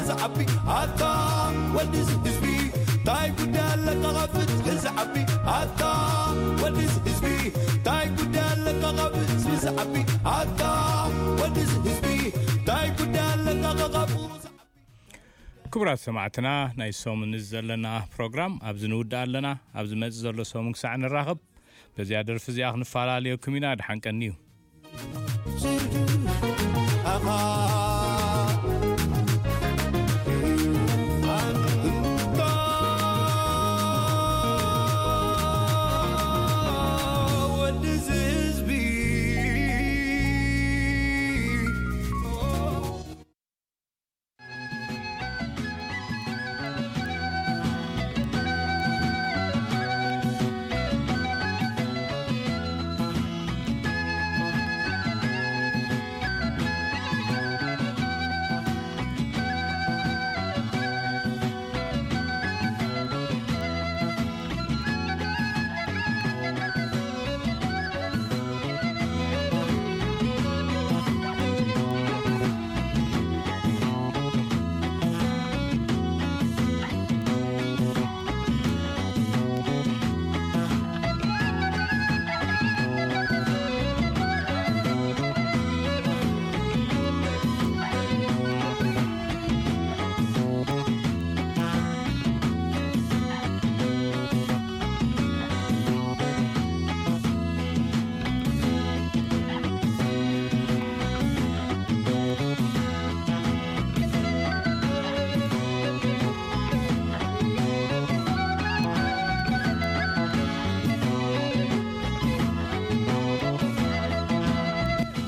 ዝዓቢ ኣታ ወዲ ህዝቢ ታይ ጉዳይ ኣለካ ካብ ፍትሒ ዝዓቢ ኣታ ወዲ ህዝቢ ታይ ጉዳይ ኣለካ ካብ ህዝቢ ዝዓቢ ኣታ ወዲ ህዝቢ ታይ ጉዳይ ኣለካ ካብ ክቡራት ሰማዕትና ናይ ሰሙን ዘለና ፕሮግራም ኣብዚ ንውድእ ኣለና። ኣብ ዝመጽእ ዘሎ ሰሙን ክሳዕ ንራኸብ በዚኣ ደርፊ እዚኣ ክንፈላለየኩም ኢና። ድሓን ቀንዩ።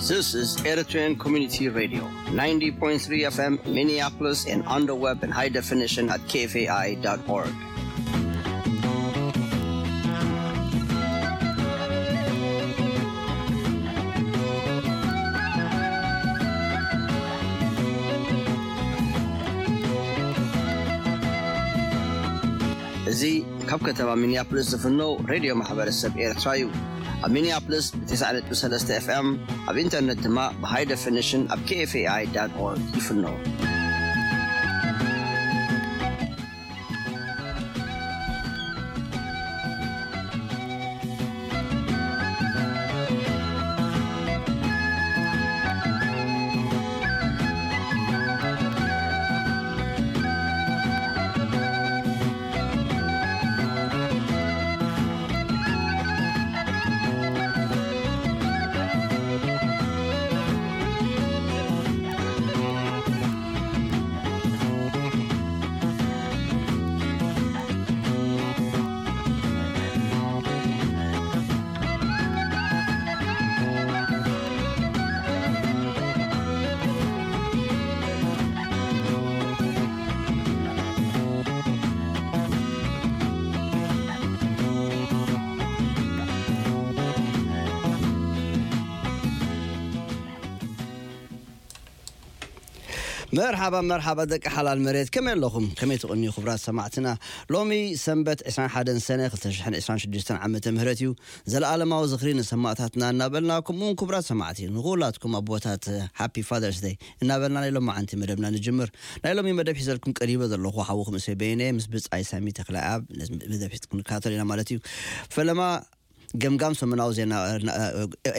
This is Eritrean Community Radio, ninety point three F M Minneapolis, and on the web in high definition at K F A I dot org. እዚ ካብ ከተማ ሚኒያፖሊስ ዝፍኖ ሬድዮ ማሕበረሰብ ኤርትራ እዩ። ኣብ ሚኒያፖሊስ ብ90.3 F M፣ ኣብ ኢንተርነት ድማ ብ high definition ኣብ K F A I dot org ይፍኖ። መርሓባ መርሓባ ደቂ ሓላል መሬት፣ ከመይ ኣለኹም? ከመይ ትቕንዩ ክቡራት ሰማዕትና? ሎሚ ሰንበት ዕስራን ሓደን ሰነ ክልተ ሽሕን ዕስራን ሽዱሽተን ዓመተ ምህረት እዩ። ዘለኣለማዊ ዝኽሪ ንሰማእታትና እናበልና፣ ከምኡውን ክቡራት ሰማዕቲ ንኹላትኩም ኣቦታት ሃፒ ፋደርስ ደይ እናበልና ናይ ሎማዓንቲ መደብና ንጅምር። ናይ ሎሚ መደብ ሒዘልኩም ቀሪበ ዘለኹ ሓውኹም እሰይ በየነ ምስ ብጻይ ሳሚ ተኽለኣብ መደብ ሒዝኩም ንከታተል ኢና ማለት እዩ። ፈለማ ገምጋም ሰሙናዊ ዜና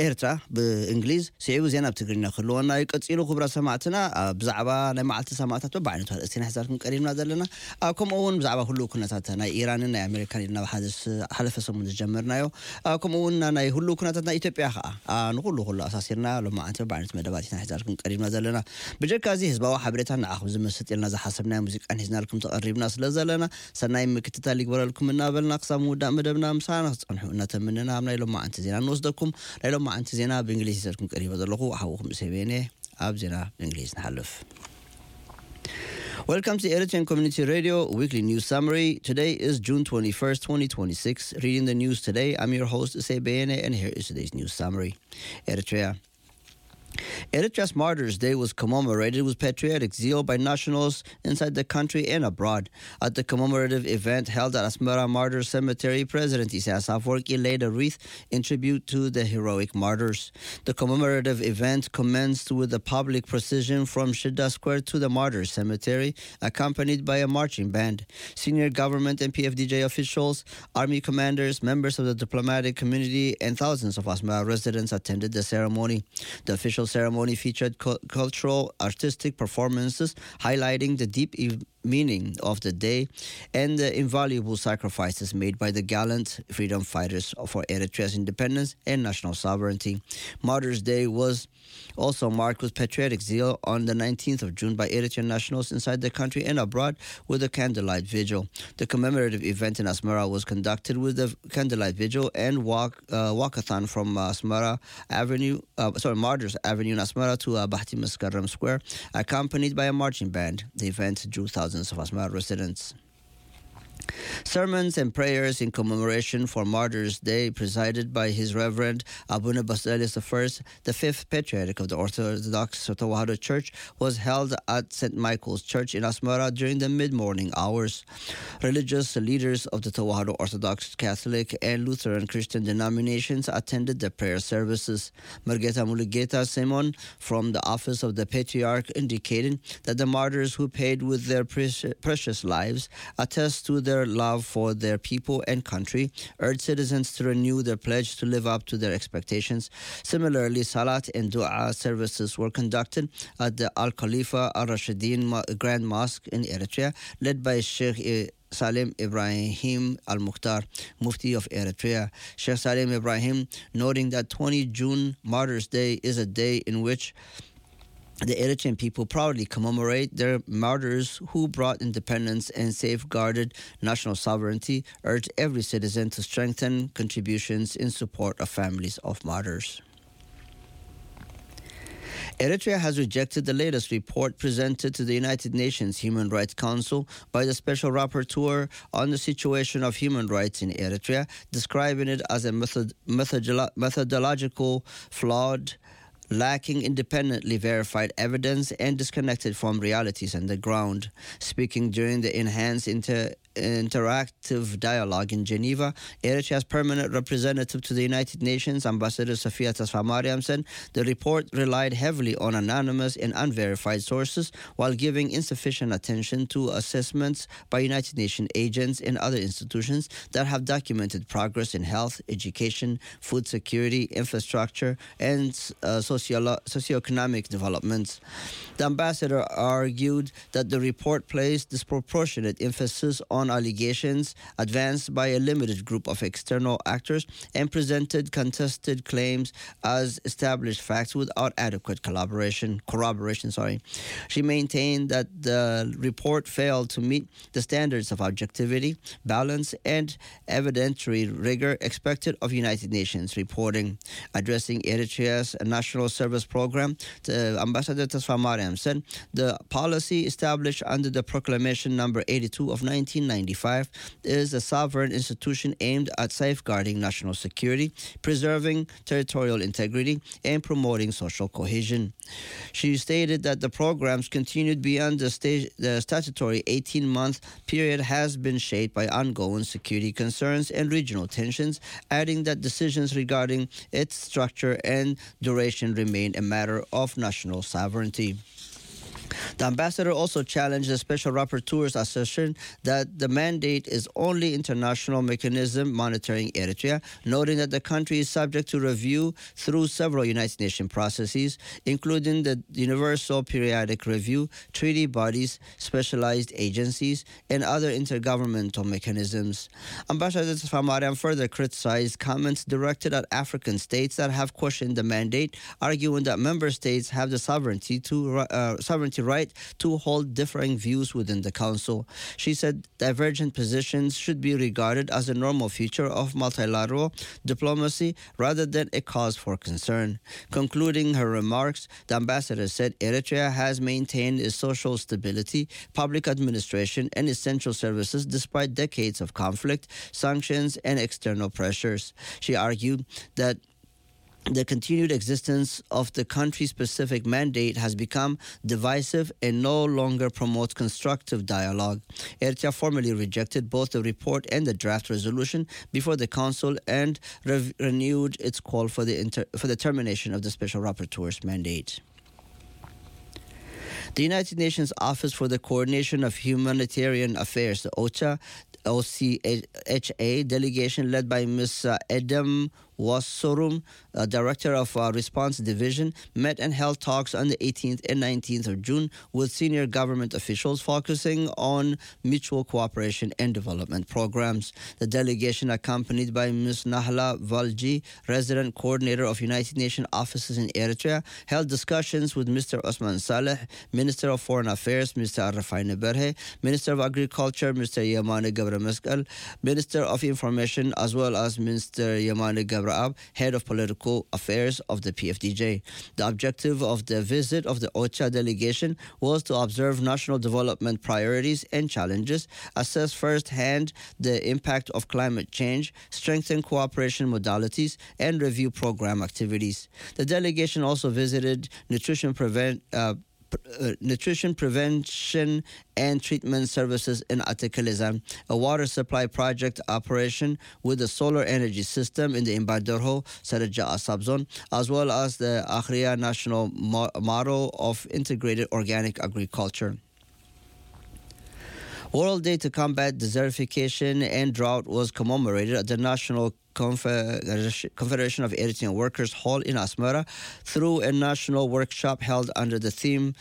ኤርትራ ብእንግሊዝ፣ ስዒቡ ዜና ብትግርኛ ክህልወና እዩ። ቀጺሉ ክቡራት ሰማዕትና፣ ኣብ ብዛዕባ ናይ መዓልቲ ሰማእታት በብዓይነቱ ኣርእስቲ ኢና ሒዛልኩም ቀሪብና ዘለና። ኣብ ከምኡ እውን ብዛዕባ ህሉው ኩነታት ናይ ኢራንን ናይ ኣሜሪካን ኢልና ብሓደ ስ-፣ ሓለፈ ሰሙን ዝጀመርናዮ። ኣብ ከምኡ እውን ናይ ህሉው ኩነታት ናይ ኢትዮጵያ ከኣ፣ ኣ፣ ንኹሉ ኩሉ ኣሳሲርና ሎማዓንቲ በብዓይነቱ መደባት ኢና ሒዛልኩም ቀሪብና ዘለና። ብጀካ እዚ ህዝባዊ ሓበሬታ ንዓኹም ዝመስጥ ኢልና ዝሓሰብናዮ ሙዚቃን ሒዝናልኩም ተቐሪብና ስለ ዘለና፣ ሰናይ ምክትታል ይግበረልኩም እናበልና ክሳብ ምውዳእ መደብና ምሳና ክትጸንሑ እናተመነና ኣብ ናይ ሎማዓንቲ ዜና ንወስደኩም። ናይ ሎማዓንቲ ዜና ብእንግሊዝ ሒዘልኩም ቀሪበ ዘለኹ ሓውኹም እሰይ በየነ። ኣብ ዜና ብእንግሊዝ ንሓልፍ። Welcome to Eritrean Community Radio Weekly News Summary. Today is June twenty-first, twenty twenty-six. Reading the news today, I'm your host, Usei Beyene, and here is today's news summary. Eritrea. Eritrea's Martyrs' Day was commemorated with patriotic zeal by nationals inside the country and abroad. At the commemorative event held at Asmara Martyrs Cemetery, President Isaias Afwerki laid a wreath in tribute to the heroic martyrs. The commemorative event commenced with a public procession from Shida Square to the Martyrs Cemetery, accompanied by a marching band. Senior government and P F D J officials, army commanders, members of the diplomatic community, and thousands of Asmara residents attended the ceremony. The official ceremony featured cu- cultural, artistic performances highlighting the deep e- meaning of the day and the invaluable sacrifices made by the gallant freedom fighters for Eritrea's independence and national sovereignty. Martyrs' Day was also marked with patriotic zeal on the nineteenth of June by Eritrean nationals inside the country and abroad with a candlelight vigil. The commemorative event in Asmara was conducted with a candlelight vigil and walk, uh, walkathon from Asmara Avenue, uh, sorry, Martyrs Avenue in Asmara to uh, Bahti Maskarram Square, accompanied by a marching band. The event drew thousands of Asmara residents. Sermons and prayers in commemoration for Martyrs' Day, presided by His Reverend Abuna Basilius the First, the fifth patriarch of the Orthodox Tewahedo Church, was held at Saint Michael's Church in Asmara during the mid-morning hours. Religious leaders of the Tewahedo Orthodox, Catholic, and Lutheran Christian denominations attended the prayer services. Mergeta Mulugeta Simon from the office of the patriarch indicated that the martyrs who paid with their preci- precious lives attest to their love for their people and country, urged citizens to renew their pledge to live up to their expectations. Similarly, Salat and Dua services were conducted at the Al Khalifa Al Rashidin Mo- Grand Mosque in Eritrea, led by Sheikh I- Salem Ibrahim Al Mukhtar, Mufti of Eritrea. Sheikh Salem Ibrahim noting that twenty June, Martyrs' Day, is a day in which the Eritrean people proudly commemorate their martyrs who brought independence and safeguarded national sovereignty, urged every citizen to strengthen contributions in support of families of martyrs. Eritrea has rejected the latest report presented to the United Nations Human Rights Council by the Special Rapporteur on the situation of human rights in Eritrea, describing it as a method- methodolo- methodological flawed, lacking independently verified evidence, and disconnected from realities on the ground. Speaking during the enhanced inter- interactive dialogue in Geneva, Eritrea's permanent representative to the United Nations, Ambassador Sofia Tasfamariam, said the report relied heavily on anonymous and unverified sources while giving insufficient attention to assessments by United Nations agents and other institutions that have documented progress in health, education, food security, infrastructure, and uh, sociolo- socioeconomic developments. The ambassador argued that the report placed disproportionate emphasis on allegations advanced by a limited group of external actors and presented contested claims as established facts without adequate collaboration, corroboration. Sorry, she maintained that the report failed to meet the standards of objectivity, balance, and evidentiary rigor expected of United Nations reporting. Addressing Eritrea's National Service Program, the Ambassador Tasfamariam said the policy established under the Proclamation Number eighty-two of nineteen ninety-five is a sovereign institution aimed at safeguarding national security, preserving territorial integrity, and promoting social cohesion. She stated that the programs continued beyond the, sta- the statutory eighteen month period has been shaped by ongoing security concerns and regional tensions, adding that decisions regarding its structure and duration remain a matter of national sovereignty. The ambassador also challenged the special rapporteur's assertion that the mandate is only international mechanism monitoring Eritrea, noting that the country is subject to review through several United Nations processes, including the Universal Periodic Review, treaty bodies, specialized agencies, and other intergovernmental mechanisms. Ambassador Tasfamariam further criticized comments directed at African states that have questioned the mandate, arguing that member states have the sovereignty to uh, sovereignty right to hold differing views within the council. She said divergent positions should be regarded as a normal feature of multilateral diplomacy rather than a cause for concern. Concluding her remarks, the ambassador said Eritrea has maintained its social stability, public administration, and essential services despite decades of conflict, sanctions, and external pressures. She argued that The continued existence of the country-specific mandate has become divisive and no longer promotes constructive dialogue. Eritrea formally rejected both the report and the draft resolution before the Council and rev- renewed its call for the, inter- for the termination of the Special Rapporteur's mandate. The United Nations Office for the Coordination of Humanitarian Affairs, the OCHA, OCHA delegation led by Miz Edem Wassorum, uh, director of uh, Response Division, met and held talks on the eighteenth and nineteenth of June with senior government officials focusing on mutual cooperation and development programs. The delegation, accompanied by Miz Nahla Valji, resident coordinator of United Nations offices in Eritrea, held discussions with Mister Osman Saleh, Minister of Foreign Affairs, Mister Arafai Neberhe, Minister of Agriculture, Mister Yamane Gebre Meskel, Minister of Information, as well as Mister Yamane Gebre Ab, head of political affairs of the P F D J. The objective of the visit of the OCHA delegation was to observe national development priorities and challenges, assess firsthand the impact of climate change, strengthen cooperation modalities, and review program activities. The delegation also visited nutrition prevent, uh, pr- uh, nutrition prevention and treatment services in Atekelezan, a water supply project operation with a solar energy system in the Imbadorho Saraja Asab zone, as well as the Akhria National Mo- Model of Integrated Organic Agriculture. World Day to Combat Desertification and Drought was commemorated at the National Confederation of Eritrean Workers Hall in Asmara through a national workshop held under the theme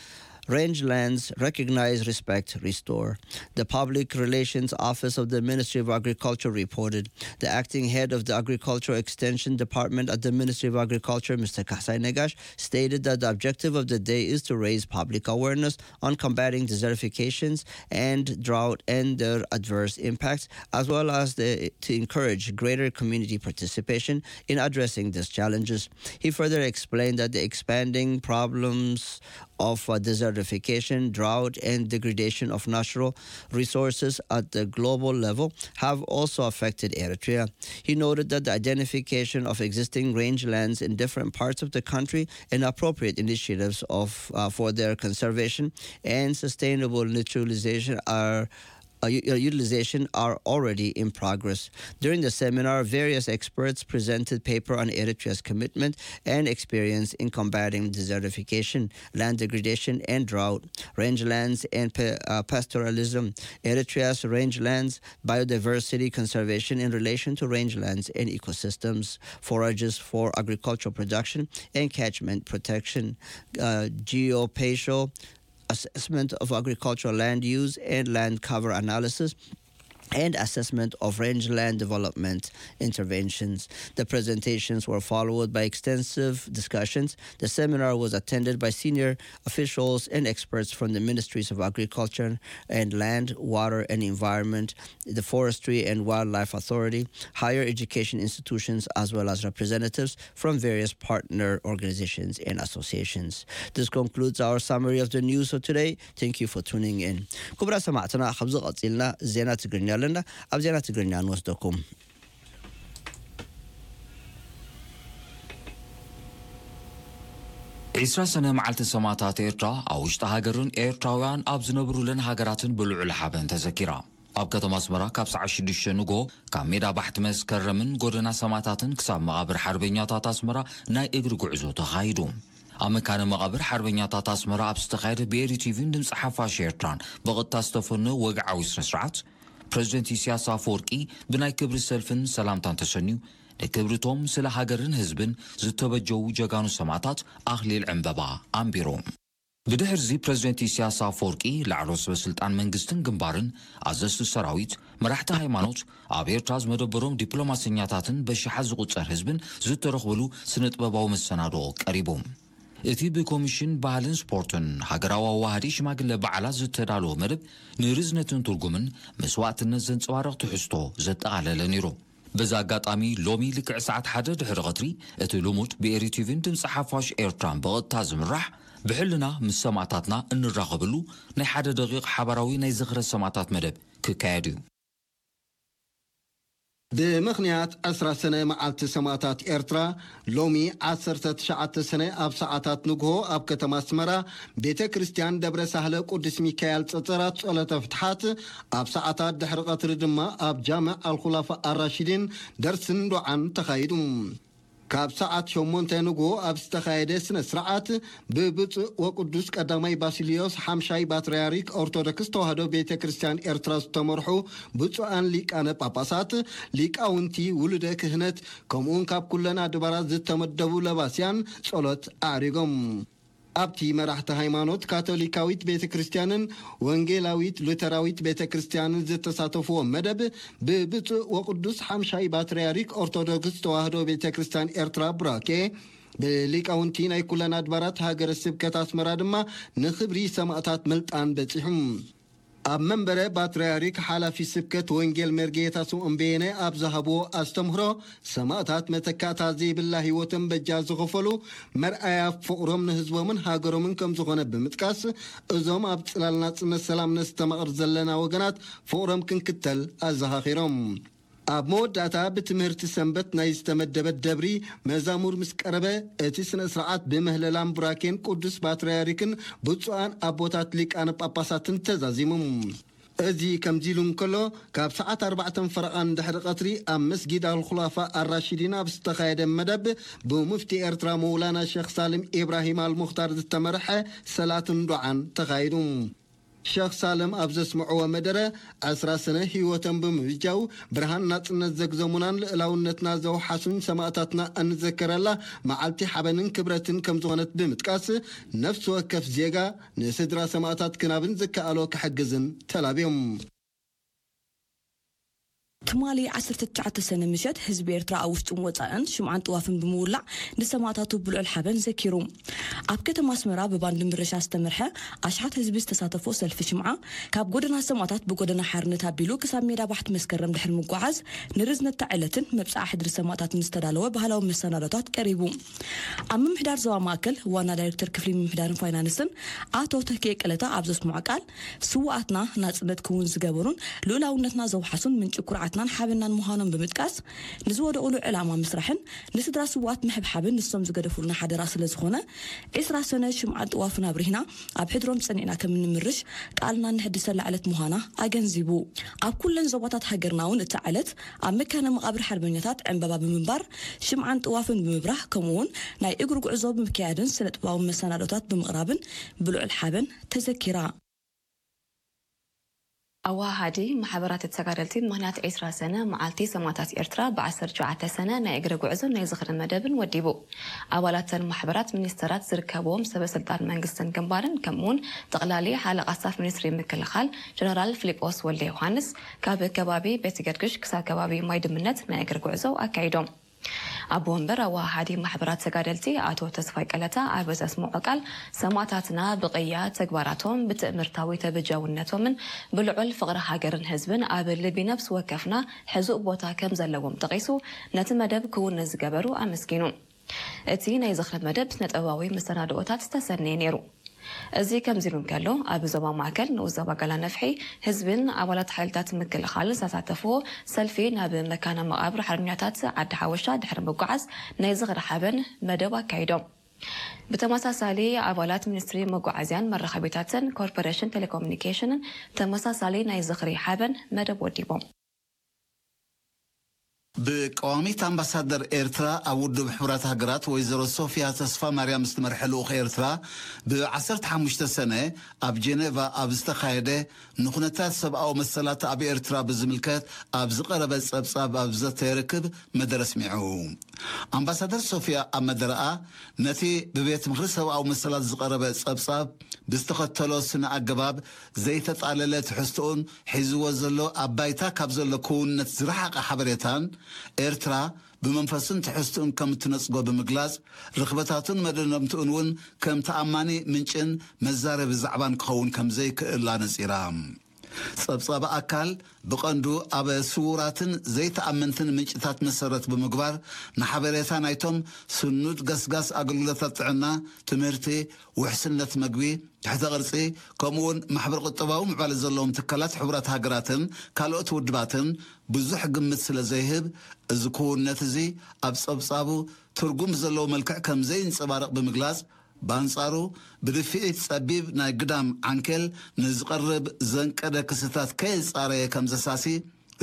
Rangelands: Recognize, Respect, Restore. The Public Relations Office of the Ministry of Agriculture reported. The acting head of the Agricultural Extension Department at the Ministry of Agriculture, Mister Kahsai Negash, stated that the objective of the day is to raise public awareness on combating desertifications and drought and their adverse impacts, as well as the, to encourage greater community participation in addressing these challenges. He further explained that the expanding problems of uh, desertification, drought, and degradation of natural resources at the global level have also affected Eritrea. He noted that the identification of existing rangelands in different parts of the country and appropriate initiatives of, uh, for their conservation and sustainable neutralization are uh, u- uh, utilization are already in progress. During the seminar, various experts presented paper on Eritrea's commitment and experience in combating desertification, land degradation, and drought, rangelands and pa- uh, pastoralism, Eritrea's rangelands, biodiversity conservation in relation to rangelands and ecosystems, forages for agricultural production and catchment protection, uh, geospatial assessment of agricultural land use and land cover analysis, and assessment of rangeland development interventions. The presentations were followed by extensive discussions. The seminar was attended by senior officials and experts from the Ministries of Agriculture and Land, Water and Environment, the Forestry and Wildlife Authority, higher education institutions, as well as representatives from various partner organizations and associations. This concludes our summary of the news for today. Thank you for tuning in. ክቡራት ሰማዕትና፣ ካብዚ ቀጺልና ዜና ትግርኛ ኣለና። ኣብ ዜና ትግርኛ ንወስደኩም። ዒስራ ሰነ መዓልቲ ሰማእታት ኤርትራ ኣብ ውሽጢ ሃገርን ኤርትራውያን ኣብ ዝነብሩለን ሃገራትን ብልዑል ሓበን ተዘኪራ። ኣብ ከተማ ኣስመራ ካብ ሰዓት ሽዱሽተ ንግሆ ካብ ሜዳ ባሕቲ መስከረምን ጎደና ሰማእታትን ክሳብ መቓብር ሓርበኛታት ኣስመራ ናይ እግሪ ጉዕዞ ተኻይዱ። ኣብ መካነ መቓብር ሓርበኛታት ኣስመራ ኣብ ዝተኻየደ ብኤሪ ቲቪን ድምፂ ሓፋሽ ኤርትራን ብቐጥታ ዝተፈነወ ወግዓዊ ስነ ስርዓት፣ ፕረዚደንት ኢሳያስ ኣፈወርቂ ብናይ ክብሪ ሰልፍን ሰላምታን ተሰንዩ፣ ንክብርቶም ስለ ሃገርን ህዝብን ዝተበጀዉ ጀጋኑ ሰማእታት ኣኽሊል ዕምበባ ኣንቢሩ። ብድሕርዚ ፕረዚደንት ኢሳያስ ኣፈወርቂ ላዕለዎት ሰበስልጣን መንግስትን ግንባርን፣ ኣዘዝቲ ሰራዊት፣ መራሕቲ ሃይማኖት፣ ኣብ ኤርትራ ዝመደበሮም ዲፕሎማሰኛታትን በሽሓት ዝቑጸር ህዝብን ዝተረኽብሉ ስነ-ጥበባዊ መሰናድኦ ቀሪቡ። እቲ ብኮሚሽን ባህልን ስፖርትን ሃገራዊ ኣዋሃዲ ሽማግለ በዓላት ዝተዳለወ መደብ ንርዝነትን ትርጉምን መስዋእትነት ዘንጸባርቕ ትሕዝቶ ዘጠቓለለ ነይሩ። በዚ ኣጋጣሚ ሎሚ ልክዕ ሰዓት ሓደ ድሕሪ ቐትሪ እቲ ልሙድ ብኤሪ ቲቪን ድምፂ ሓፋሽ ኤርትራን ብቐጥታ ዝምራሕ ብሕልና ምስ ሰማእታትና እንራኸበሉ ናይ ሓደ ደቂቕ ሓባራዊ ናይ ዝኽረ ሰማእታት መደብ ክካየድ እዩ። ብምኽንያት ዕስራ ሰነ መዓልቲ ሰማእታት ኤርትራ፣ ሎሚ ዓሰርተ ትሽዓተ ሰነ ኣብ ሰዓታት ንግሆ ኣብ ከተማ ኣስመራ ቤተ ክርስቲያን ደብረ ሳህለ ቅዱስ ሚካኤል ጸጸራት ጸሎተ ፍትሓት፣ ኣብ ሰዓታት ድሕሪ ቀትሪ ድማ ኣብ ጃምዕ ኣልኹላፋ ኣራሺዲን ደርስን ዱዓን ተኻይዱ። ካብ ሰዓት ሸሞንተ ንግሆ ኣብ ዝተኻየደ ስነ ስርዓት፣ ብብፁዕ ወቅዱስ ቀዳማይ ባሲሊዮስ ሓምሻይ ፓትርያርክ ኦርቶዶክስ ተዋህዶ ቤተ ክርስቲያን ኤርትራ ዝተመርሑ ብፁዓን ሊቃነ ጳጳሳት፣ ሊቃውንቲ፣ ውሉደ ክህነት፣ ከምኡውን ካብ ኩለን ኣድባራት ዝተመደቡ ለባስያን ጸሎት ኣዕሪጎም። ኣብቲ መራሕቲ ሃይማኖት ካቶሊካዊት ቤተ ክርስቲያንን ወንጌላዊት ሉተራዊት ቤተ ክርስቲያንን ዝተሳተፍዎ መደብ፣ ብብፁዕ ወቅዱስ ሓምሻይ ፓትርያርክ ኦርቶዶክስ ተዋህዶ ቤተ ክርስቲያን ኤርትራ ቡራኬ፣ ብሊቃውንቲ ናይ ኩለን ኣድባራት ሃገረ ስብከት ኣስመራ ድማ ንኽብሪ ሰማእታት ምልጣን በጺሑ። ኣብ መንበረ ፓትርያርክ ሓላፊ ስብከት ወንጌል መርጌታ ስምዖን በየነ ኣብ ዝሃብዎ ኣስተምህሮ፣ ሰማእታት መተካእታ ዘይብላ ህይወቶም በጃ ዝኸፈሉ መርኣያ ፍቕሮም ንህዝቦምን ሃገሮምን ከም ዝኾነ ብምጥቃስ፣ እዞም ኣብ ጽላል ናጽነት ሰላም ነስተማቕር ዘለና ወገናት ፍቕሮም ክንክተል ኣዘኻኺሮም። ኣብ መወዳእታ ብትምህርቲ ሰንበት ናይ ዝተመደበት ደብሪ መዛሙር ምስ ቀረበ፣ እቲ ስነ ስርዓት ብምህለላን ቡራኬን ቅዱስ ፓትርያርክን ብፁዓን ኣቦታት ሊቃነ ጳጳሳትን ተዛዚሙ። እዚ ከምዚ ኢሉ እንከሎ፣ ካብ ሰዓት ኣርባዕተን ፈረቓን ድሕሪ ቀትሪ ኣብ መስጊድ ኣልኹላፋ ኣራሺዲን ኣብ ዝተኻየደ መደብ፣ ብሙፍቲ ኤርትራ መውላና ሸኽ ሳልም ኢብራሂም ኣልሙኽታር ዝተመርሐ ሰላትን ዱዓን ተኻይዱ። ሸኽ ሳልም ኣብ ዘስምዕዎ መደረ፣ ዕስራ ሰነ ህይወቶም ብምብጃው ብርሃን ናጽነት ዘግዘሙናን ልእላውነትና ዘውሓሱን ሰማእታትና እንዘከረላ መዓልቲ ሓበንን ክብረትን ከም ዝኾነት ብምጥቃስ፣ ነፍሲ ወከፍ ዜጋ ንስድራ ሰማእታት ክናብን ዝከኣሎ ክሕግዝን ተላብዮም። ትማሊ ዓሰርተ ትሽዓተ ሰነ ምሸት ህዝቢ ኤርትራ ኣብ ውሽጥን ወጻእን ሽምዓን ጥዋፍን ብምውላዕ ንሰማእታቱ ብልዑል ሓበን ዘኪሩ። ኣብ ከተማ ኣስመራ ብባንድ ምርሻ ዝተመርሐ ኣሽሓት ህዝቢ ዝተሳተፎ ሰልፊ ሽምዓ ካብ ጎደና ሰማእታት ብጎደና ሓርነት ኣቢሉ ክሳብ ሜዳ ባሕቲ መስከረም ድሕሪ ምጓዓዝ ንርዝነታ ዕለትን መብጽዓ ሕድሪ ሰማእታትን ዝተዳለወ ባህላዊ መሰናዶታት ቀሪቡ። ኣብ ምምሕዳር ዞባ ማእከል ዋና ዳይሬክተር ክፍሊ ምምሕዳርን ፋይናንስን ኣቶ ተኪኤ ቀለታ ኣብ ዘስምዖ ቃል፣ ስውኣትና ናጽነት ክውን ዝገበሩን ልኡላውነትና ዘውሓሱን ምንጪ ኩርዓትናን ሓበናን ምዃኖም ብምጥቃስ፣ ንዝወደቑሉ ዕላማ ምስራሕን ንስድራ ስውኣት ምሕብሓብን ንሶም ዝገደፉልና ሓደራ ስለ ዝኾነ፣ ዕስራ ሰነ ሽምዓን ጥዋፍን ኣብሪህና ኣብ ሕድሮም ጸኒዕና ከም እንምርሽ ቃልና ንሕድሰላ ዕለት ምዃና ኣገንዚቡ። ኣብ ኩለን ዞባታት ሃገርና እውን እታ ዕለት ኣብ መካነ መቓብር ሓርበኛታት ዕምባባ ብምንባር፣ ሽምዓን ጥዋፍን ብምብራህ፣ ከምኡውን ናይ እግሪ ጉዕዞ ብምክያድን ስነ ጥበባዊ መሰናዶታት ብምቕራብን ብልዑል ሓበን ተዘኪራ። ኣዋሃሃዲ ማሕበራት ተጋደልቲ ምኽንያት ዕስራ ሰነ መዓልቲ ሰማእታት ኤርትራ ብ ዓሰርተ ትሽዓተ ሰነ ናይ እግሪ ጉዕዞን ናይ ዝኽሪ መደብን ወዲቡ። ኣባላተን ማሕበራት ሚኒስተራት ዝርከብዎም ሰበ ስልጣን መንግስትን ግንባርን ከምኡውን ጠቕላሊ ሓለቓ ስታፍ ሚኒስትሪ ምክልኻል ጀነራል ፊሊጶስ ወልደ ዮሃንስ ካብ ከባቢ ቤት ገርግሽ ክሳብ ከባቢ ማይ ድምነት ናይ እግሪ ጉዕዞ ኣካይዶም። ኣቦ ወንበር ኣወሃሃዲ ማሕበራት ተጋደልቲ ኣቶ ተስፋይ ቀለታ ኣብ ዘስምዖ ቃል፣ ሰማእታትና ብቕያ ተግባራቶም፣ ብትእምርታዊ ተበጃውነቶምን ብልዑል ፍቕሪ ሃገርን ህዝብን ኣብ ልቢ ነፍሲ ወከፍና ሕዙእ ቦታ ከም ዘለዎም ጠቒሱ፣ ነቲ መደብ ክውን ንዝገበሩ ኣመስጊኑ። እቲ ናይ ዝኽሪ መደብ ስነ-ጥበባዊ መሰናድኦታት ዝተሰነየ ነይሩ። እዚ ከምዚ ኢሉ እንከሎ፣ ኣብ ዞባ ማእከል ንኡስ ዞባ ጋላ ነፍሒ፣ ህዝብን ኣባላት ሓይልታት ምክልኻል ዝተሳተፍዎ ሰልፊ ናብ መካነ መቓብር ሓርበኛታት ዓዲ ሓወሻ ድሕሪ ምጉዓዝ ናይ ዝኽሪ ሓበን መደብ ኣካይዶም። ብተመሳሳሊ ኣባላት ሚኒስትሪ መጓዓዝያን መራኸቢታትን ኮርፖሬሽን ቴሌኮሙኒኬሽንን ተመሳሳሊ ናይ ዝኽሪ ሓበን መደብ ወዲቦም። ብቀዋሚት ኣምባሳደር ኤርትራ ኣብ ውድብ ሕቡራት ሃገራት ወይዘሮ ሶፊያ ተስፋ ማርያም ዝተመርሐ ልኡኽ ኤርትራ ብ ዓሰርተ ሓሙሽተ ሰነ ኣብ ጀኔቫ ኣብ ዝተኻየደ ንኹነታት ሰብኣዊ መሰላት ኣብ ኤርትራ ብዝምልከት ኣብ ዝቐረበ ጸብጻብ ኣብ ዘተየ ርክብ መደረ ኣስሚዑ። ኣምባሳደር ሶፊያ ኣብ መደረኣ ነቲ ብቤት ምኽሪ ሰብኣዊ መሰላት ዝቐረበ ጸብጻብ ብዝተኸተሎ ስነ ኣገባብ ዘይተጣለለ ትሕዝቶኡን ሒዝዎ ዘሎ ኣብ ባይታ ካብ ዘሎ ክውንነት ዝረሓቐ ሓበሬታን ኤርትራ ብመንፈስን ትሕዝቶኡን ከም እትነጽጎ ብምግላጽ፣ ርኽበታቱን መደምደምትኡን እውን ከም ተኣማኒ ምንጭን መዛረቢ ዛዕባን ክኸውን ከም ዘይክእል ኣነጺራ። ጸብጻብ ኣካል ብቐንዱ ኣብ ስዉራትን ዘይተኣመንትን ምንጭታት መሰረት ብምግባር፣ ንሓበሬታ ናይቶም ስኑድ ገስጋስ ኣገልግሎታት ጥዕና፣ ትምህርቲ፣ ውሕስነት መግቢ፣ ትሕተ ቅርጺ፣ ከምኡውን ማሕበረ ቁጠባዊ ምዕባለ ዘለዎም ትካላት ሕቡራት ሃገራትን ካልኦት ውድባትን ብዙሕ ግምት ስለ ዘይህብ፣ እዚ ክውንነት እዚ ኣብ ጸብጻቡ ትርጉም ዘለዎ መልክዕ ከም ዘይንጸባረቕ ብምግላጽ፣ ብኣንጻሩ፣ ብድፍኢት ጸቢብ ናይ ግዳም ዓንኬል ንዝቐርብ ዘንቀደ ክስታት ከየጻረየ ከም ዘሳሲ፣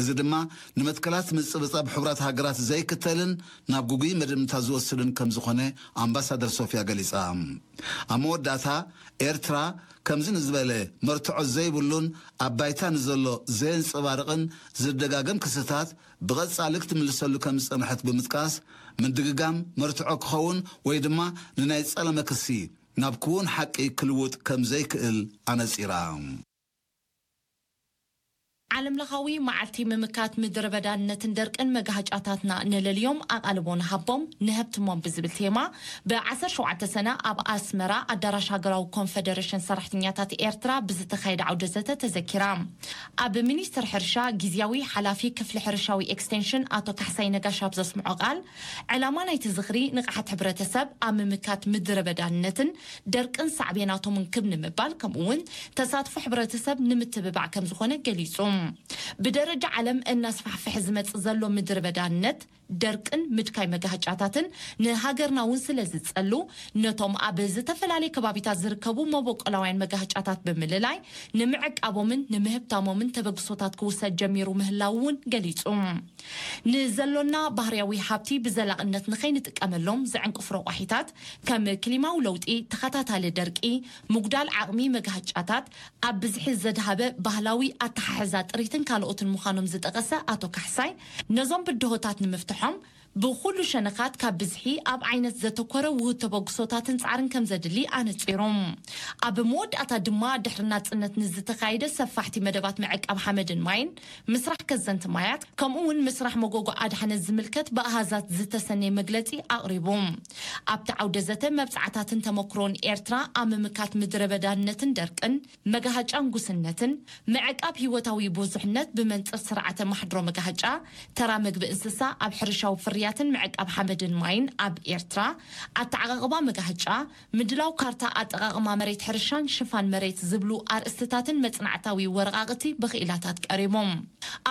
እዚ ድማ ንመትከላት ምጽብጻብ ሕቡራት ሃገራት ዘይክተልን ናብ ግጉይ መደምታ ዝወስድን ከም ዝኾነ ኣምባሳደር ሶፊያ ገሊጻ። ኣብ መወዳእታ፣ ኤርትራ ከምዚ ንዝበለ መርትዖ ዘይብሉን ኣብ ባይታ ንዘሎ ዘየንጸባርቕን ዝደጋገም ክስታት ብቐጻሊ ክትምልሰሉ ከም ዝጸንሐት ብምጥቃስ፣ ምድግጋም መርትዖ ክኸውን ወይ ድማ ንናይ ጸለመ ክሲ ናብ ክውን ሓቂ ክልውጥ ከም ዘይክእል ኣነጺራ። ዓለምለኻዊ መዓልቲ ምምካት ምድረ በዳነትን ደርቅን መጋሃጫታትና ንለልዮም ኣቓልቦ ንሃቦም ንሀብትሞም ብዝብል ቴማ ብ ዓሰርተ ሸውዓተ ሰነ ኣብ ኣስመራ ኣዳራሽ ሃገራዊ ኮንፈደሬሽን ሰራሕተኛታት ኤርትራ ብዝተኻየደ ዓውደ ዘተ ተዘኪራ። ኣብ ሚኒስትር ሕርሻ ግዝያዊ ሓላፊ ክፍሊ ሕርሻዊ ኤክስቴንሽን ኣቶ ካሕሳይ ነጋሽ ኣብ ዘስምዖ ቃል፣ ዕላማ ናይቲ ዝኽሪ ንቕሓት ሕብረተሰብ ኣብ ምምካት ምድረ በዳነትን ደርቅን ሳዕቤናቶምን ክብ ንምባል፣ ከምኡ እውን ተሳትፎ ሕብረተሰብ ንምትብባዕ ከም ዝኾነ ገሊጹ። ብደረጃ ዓለም እናስፋሕፍሐ ዝመጽእ ዘሎ ምድረ በዳነት፣ ደርቅን ምድካይ መጋህጫታትን ንሃገርና እውን ስለ ዝጸሉ፣ ነቶም ኣብ ዝተፈላለየ ከባቢታት ዝርከቡ መበቆላውያን መጋህጫታት ብምልላይ፣ ንምዕቃቦምን ንምህብታሞምን ተበግሶታት ክውሰድ ጀሚሩ ምህላው እውን ገሊጹ። ንዘሎና ባህርያዊ ሃብቲ ብዘላቕነት ንኸይንጥቀመሎም ዘዕንቅፉ ረቋሒታት፣ ከም ክሊማዊ ለውጢ፣ ተኸታታሊ ደርቂ፣ ምጉዳል ዓቕሚ መጋህጫታት፣ ኣብ ብዝሒ ዘድሃበ ባህላዊ ኣተሓሕዛ ጥሪትን ካልኦትን ምዃኖም ዝጠቐሰ ኣቶ ካሕሳይ፣ ነዞም ብድሆታት ንምፍትሖም ብኹሉ ሸነኻት ካብ ብዝሒ ኣብ ዓይነት ዘተኮረ ውሁድ ተበግሶታትን ጻዕርን ከም ዘድሊ ኣነጺሮም። ኣብ መወዳእታ ድማ ድሕሪ ናጽነት ንዝተኻየደ ሰፋሕቲ መደባት ምዕቃብ ሓመድን ማይን፣ ምስራሕ ከዘንቲ ማያት፣ ከምኡ እውን ምስራሕ መጎጎ ኣድሓነት ዝምልከት ብኣሃዛት ዝተሰነየ መግለጺ ኣቕሪቡ። ኣብቲ ዓውደ ዘተ መብጻዕታትን ተመክሮን ኤርትራ ኣብ ምምካት ምድረ በዳነትን ደርቅን፣ መጋሃጫን ጉስነትን፣ ምዕቃብ ህይወታዊ ብዙሕነት ብመንጽር ስርዓተ ማሕድሮ መጋሃጫ፣ ተራ መግቢ እንስሳ ኣብ ሕርሻዊ ፍርያትን ምዕቃብ ሓመድን ማይን ኣብ ኤርትራ፣ ኣተዓቓቕባ መጋሃጫ፣ ምድላው ካርታ ኣጠቓቕማ መሬት ሕርሻን ሽፋን መሬት ዝብሉ ኣርእስትታትን መጽናዕታዊ ወረቓቕቲ ብኽኢላታት ቀሪቦም።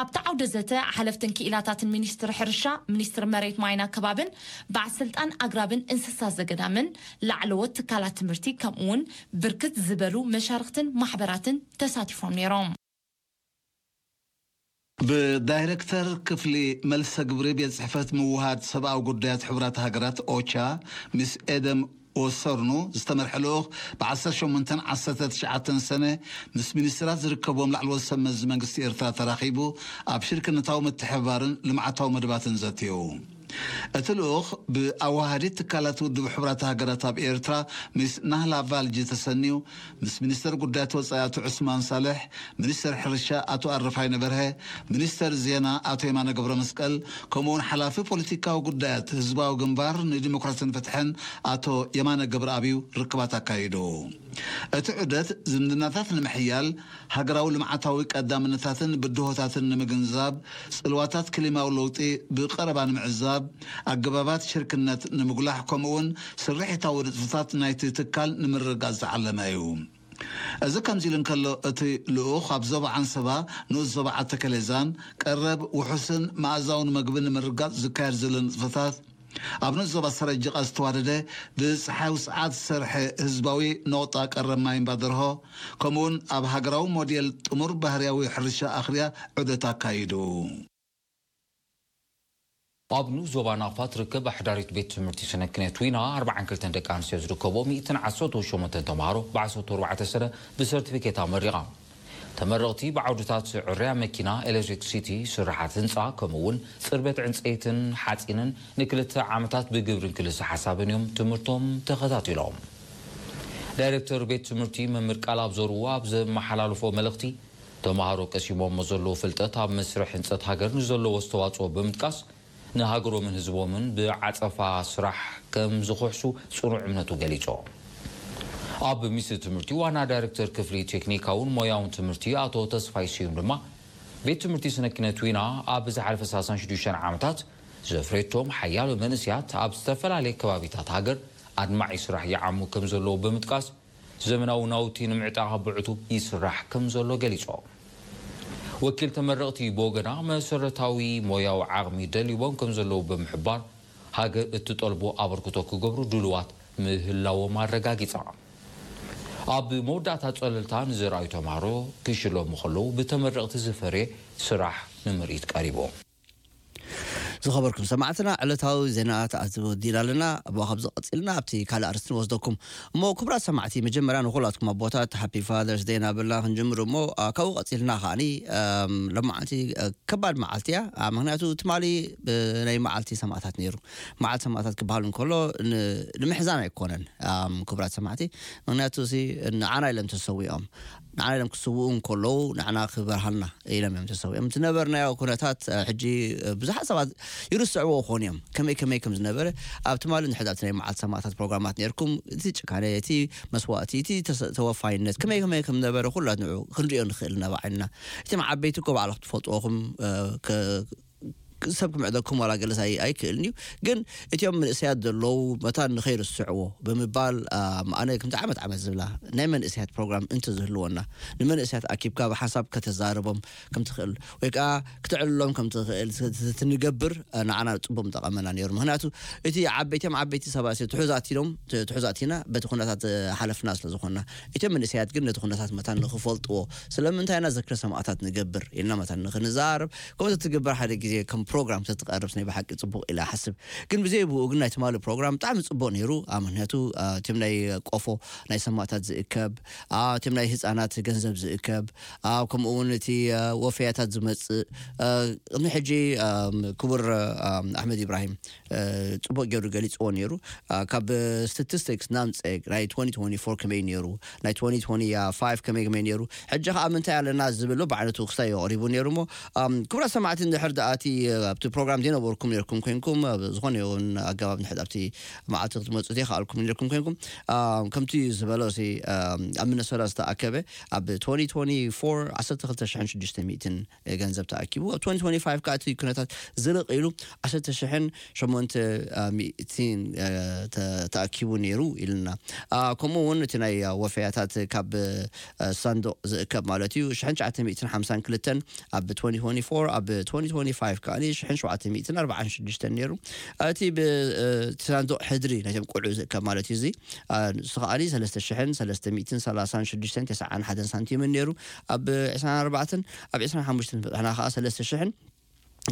ኣብቲ ዓውደ ዘተ ሓለፍትን ክኢላታትን ሚኒስትሪ ሕርሻ፣ ሚኒስትሪ መሬት ማይን ኣከባብን በዓል ስልጣን ኣግራብን እንስሳ ዘገዳምን ላዕለዎት ትካላት ትምህርቲ ከምኡ እውን ብርክት ዝበሉ መሻርኽትን ማሕበራትን ተሳቲፎም ነይሮም። ብዳይሬክተር ክፍሊ መልሰ ግብሪ ቤት ጽሕፈት ምውሃድ ሰብኣዊ ጉዳያት ሕቡራት ሃገራት ኦቻ ሚስ ኤደም ወሰርኑ ዝተመርሐ ልኡኽ ብ ዓሰርተ ሸሞንተን ዓሰርተ ትሽዓተን ሰነ ምስ ሚኒስትራት ዝርከብዎም ላዕለዎት ሰብ መዚ መንግስቲ ኤርትራ ተራኺቡ ኣብ ሽርክነታዊ ምትሕብባርን ልምዓታዊ መደባትን ዘትዩ። እቲ ልኡኽ ብኣዋሃዲት ትካላት ውድብ ሕቡራት ሃገራት ኣብ ኤርትራ ሚስ ናህላ ቫልጂ ተሰንዩ ምስ ሚኒስተር ጉዳያት ወጻኢ ኣቶ ዑስማን ሳልሕ፣ ሚኒስተር ሕርሻ ኣቶ ኣረፋይነ በርሀ፣ ሚኒስተር ዜና ኣቶ የማነ ገብረ መስቀል፣ ከምኡውን ሓላፊ ፖለቲካዊ ጉዳያት ህዝባዊ ግንባር ንዲሞክራስን ፍትሕን ኣቶ የማነ ገብረኣብዩ ርክባት ኣካይዱ። እቲ ዑደት ዝምድናታት ንምሕያል፣ ሃገራዊ ልምዓታዊ ቀዳምነታትን ብድሆታትን ንምግንዛብ፣ ጽልዋታት ክሊማዊ ለውጢ ብቐረባ ንምዕዛብ፣ ኣገባባት ሽርክነት ንምጉላሕ፣ ከምኡውን ስርሒታዊ ንጥፈታት ናይቲ ትካል ንምርግጋጽ ዝዓለመ እዩ። እዚ ከምዚ ኢሉ እንከሎ፣ እቲ ልኡኽ ኣብ ዞባ ዓንሰባ፣ ንኡስ ዞባ ዓተከሌዛን ቀረብ ውሑስን መኣዛውን መግቢ ንምርጋጽ ዝካየድ ዘሎ ንጥፈታት፣ ኣብ ንኡስ ዞባ ሰረጅቓ ዝተዋደደ ብጸሓይ ውጽዓት ዝሰርሐ ህዝባዊ ነቑጣ ቀረብ ማይ እምባ ደርሆ፣ ከምኡውን ኣብ ሃገራዊ ሞዴል ጥሙር ባህርያዊ ሕርሻ ኣኽርያ ዑደት ኣካይዱ። ኣብ ንኡስ ዞባ ናቕፋ ትርከብ ኣሕዳሪት ቤት ትምህርቲ ስነ ክነት ዊና ኣርባዓን ክልተን ደቂ ኣንስትዮ ዝርከብኦ ሚእትን ዓሰርተ ሸሞንተን ተምሃሮ ብ ዓሰርተ ኣርባዕተ ሰነ ብሰርቲፊኬት ኣመሪቓ። ተመረቕቲ ብዓውድታት ዕርያ መኪና፣ ኤሌክትሪክሲቲ፣ ስራሓት ህንፃ፣ ከምኡ እውን ፅርበት ዕንፀይትን ሓፂንን ንክልተ ዓመታት ብግብርን ክልሰ ሓሳብን እዮም ትምህርቶም ተኸታቲሎም። ዳይሬክተር ቤት ትምህርቲ መምህር ቃል ኣብ ዘርኡ ኣብ ዘመሓላለፎ መልእኽቲ፣ ተምሃሮ ቀሲሞሞ ዘለዉ ፍልጠት ኣብ መስርሕ ህንፀት ሃገር ንዘለዎ ኣስተዋፅኦ ብምጥቃስ፣ ንሃገሮምን ህዝቦምን ብዓጸፋ ስራሕ ከም ዝኹሕሱ ጽኑዕ እምነቱ ገሊጹ። ኣብ ሚኒስትሪ ትምህርቲ ዋና ዳይሬክተር ክፍሊ ቴክኒካውን ሞያውን ትምህርቲ ኣቶ ተስፋይ ስዩም ድማ፣ ቤት ትምህርቲ ስነ ኪነት ዊና ኣብ ዝሓለፈ ሰላሳን ሽዱሽተን ዓመታት ዘፍረየቶም ሓያሎ መንእስያት ኣብ ዝተፈላለየ ከባቢታት ሃገር ኣድማዒ ስራሕ ይዓሙ ከም ዘለዉ ብምጥቃስ፣ ዘመናዊ ናውቲ ንምዕጣቕ ብዕቱብ ይስራሕ ከም ዘሎ ገሊጾም። ወኪል ተመረቕቲ ብወገና፣ መሰረታዊ ሞያዊ ዓቕሚ ደልይዎም ከም ዘለዉ ብምሕባር፣ ሃገር እትጠልቦ ኣበርክቶ ክገብሩ ድሉዋት ምህላዎም ኣረጋጊጻ። ኣብ መወዳእታ ጸለልታ ንዝረኣዩ ተምሃሮ ክሽለሙ ከለዉ፣ ብተመረቕቲ ዝፈርየ ስራሕ ንምርኢት ቀሪቡ። ዝኸበርኩም ሰማዕትና፣ ዕለታዊ ዜናታት ኣትወዲና ኣለና። እሞ ካብዚ ቀጺልና ኣብቲ ካልእ ኣርእስቲ ንወስደኩም። እሞ ክቡራት ሰማዕቲ፣ መጀመርያ ንኹላትኩም ኣቦታት ሃፒ ፋዘርስ ደይ እናበልና ክንጅምር እሞ፣ ኣ፣ ካብኡ ቀጺልና ከኣኒ፣ ኣም፣ ሎማዓንቲ፣ እ፣ ከባድ መዓልቲ እያ። ኣ፣ ምኽንያቱ ትማሊ፣ ብ-፣ ናይ መዓልቲ ሰማእታት ነይሩ። መዓልቲ ሰማእታት ክበሃል እንከሎ ን-፣ ንምሕዛን ኣይኮነን፣ ኣም፣ ክቡራት ሰማዕቲ። ምኽንያቱ እዚ ንዓና ኢሎም ተሰዊኦም። ንዓና ኢሎም ክስውኡ እንከለዉ ንዓና ክበርሃልና ኢሎም እዮም ተሰዊኦም። ዝነበርናዮ ኩነታት፣ እ፣ ሕጂ፣ እ፣ ብዙሓት ሰባት ይርስዕዎ ክኾኑ እዮም። ከመይ ከመይ ከም ዝነበረ ኣብ ትማሊ እንድሕር ኣብቲ ናይ መዓልቲ ሰማእታት ፕሮግራማት ነርኩም፣ እቲ ጭካነ፣ እቲ መስዋእቲ፣ እቲ ተሰ-፣ ተወፋይነት ከመይ ከመይ ከም ነበረ ኩላት ንዑ ክንሪኦ ንኽእል ኢና ብዓይንና። እቶም ዓበይቲ እኮ ባዕልኹም ትፈልጥዎ ኹም፣ እ፣ ከ-፣ ሰብ ክምዕደኩም ዋላ ገለስ ኣይ-፣ ኣይክእልን እዩ። ግን እቲኦም መንእሰያት ዘለዉ መታን ንኸይርስዕዎ ብምባል፣ አ፣ ኣነ ከምቲ ዓመት ዓመት ዝብላ ናይ መንእሰያት ፕሮግራም እንተዝህልወና፣ ንመንእሰያት ኣኪብካ ብሓንሳብ ከተዛርቦም ከም ትኽእል ወይ ከኣ ክተዕልሎም ከም ትኽእል ት-፣ ት-፣ ትንገብር፣ አ፣ ንዓና ጽቡቕ ምጠቐመና ነይሩ። ምኽንያቱ እቲ ዓበይቲ፣ እቶም ዓበይቲ ሰባት ትሑዛት ኢሎም፣ ት-፣ ትሑዛት ኢና በቲ ኩነታት ዝሓለፍና ስለ ዝኾንና። እቶም መንእሰያት ግን ነቲ ኩነታት መታን ንኽፈልጥዎ ስለምንታይ ኢና ዝክረ ሰማእታት ንገብር ኢልና መታን ንኽንዛረብ፣ ከምኡ ተትግበር ሓደ ግዜ ከም ፕሮግራም ተትቐርብ ናይ ብሓቂ ጽቡቕ ኢለ እሓስብ። ግን ብዘይ ብኡ ግን ናይ ትማሊ ፕሮግራም ብጣዕሚ ጽቡቕ ነይሩ። ኣብ ምኽንያቱ፣ አ፣ እቶም ናይ ቆፎ ናይ ሰማእታት ዝእከብ፣ አ፣ እቶም ናይ ህጻናት ገንዘብ ዝእከብ፣ አ፣ ከምኡ እውን እቲ፣ አ፣ ወፈያታት ዝመጽእ፣ አ፣ ቅድሚ ሕጂ፣ አ፣ ክቡር፣ አ፣ ኣሕመድ ኢብራሂም፣ አ፣ ጽቡቕ ገይሩ ገሊጽዎ ነይሩ። አ፣ ካብ ስታቲስቲክስ ናምጸ ናይ ትወንቲ ትወንቲ ፎር ከመይ ነይሩ፣ ናይ ትወንቲ ትወንቲ ፋይቭ ከመይ ከመይ ነይሩ፣ ሕጂ ከኣ ምንታይ ኣለና ዝብል ብዓይነቱ ክስታይ ኣቕሪቡ ነይሩ እሞ፣ ኣም፣ ክቡራት ሰማዕቲ፣ እንድሕር ደኣ እቲ፣ ኣብቲ ፕሮግራም ዘይነበርኩም ነርኩም ኮይንኩም፣ ኣብ ዝኾነ ይኹን ኣገባብ እንድሕር ኣብቲ መዓልቲ ክትመጹ ዘይከኣልኩም ነርኩም ኮይንኩም፣ ኣም፣ ከምቲ ዝበሎ፣ እዚ፣ ኣም፣ ኣብ ሚነሶታ ዝተኣከበ ኣብ ትወንቲ ትወንቲ ፎር ዓሰርተ ክልተ ሽሕን ሽዱሽተ ሚእትን ገንዘብ ተኣኪቡ፣ ኣብ ትወንቲ ትወንቲ ፋይቭ ከኣ እቲ ኩነታት ዝልቕ ኢሉ ዓሰርተ ሽሕን ሸሞንተ ሚእትን፣ እ፣ ተ-፣ ተኣኪቡ ነይሩ ኢልና። አ፣ ከምኡ እውን እቲ ናይ፣ አ፣ ወፈያታት ካብ፣ እ፣ ሳንዱቕ ዝእከብ ማለት እዩ፣ ሽሕን ትሽዓተ ሚእትን ሓምሳን ክልተን ኣብ ትወንቲ ትወንቲ ፎር፣ ኣብ ትወንቲ ትወንቲ ፋይቭ ከኣ ሽሕን ሸውዓተ ሚእትን ኣርባዓን ሽዱሽተን ነይሩ። እቲ ብ-፣ እ፣ እቲ ሳንዱቕ ሕድሪ ናይቶም ቆልዑ ዝእከብ ማለት እዩ፣ እዚ፣ አ፣ ንሱ ከኣ ሰለስተ ሽሕን ሰለስተ ሚእትን ሰላሳን ሽዱሽተን ተስዓን ሓደን ሳንቲምን ነይሩ። ኣብ ዕስራን ኣርባዕተን፣ ኣብ ዕስራን ሓሙሽተን በጽሕና ከኣ ሰለስተ ሽሕን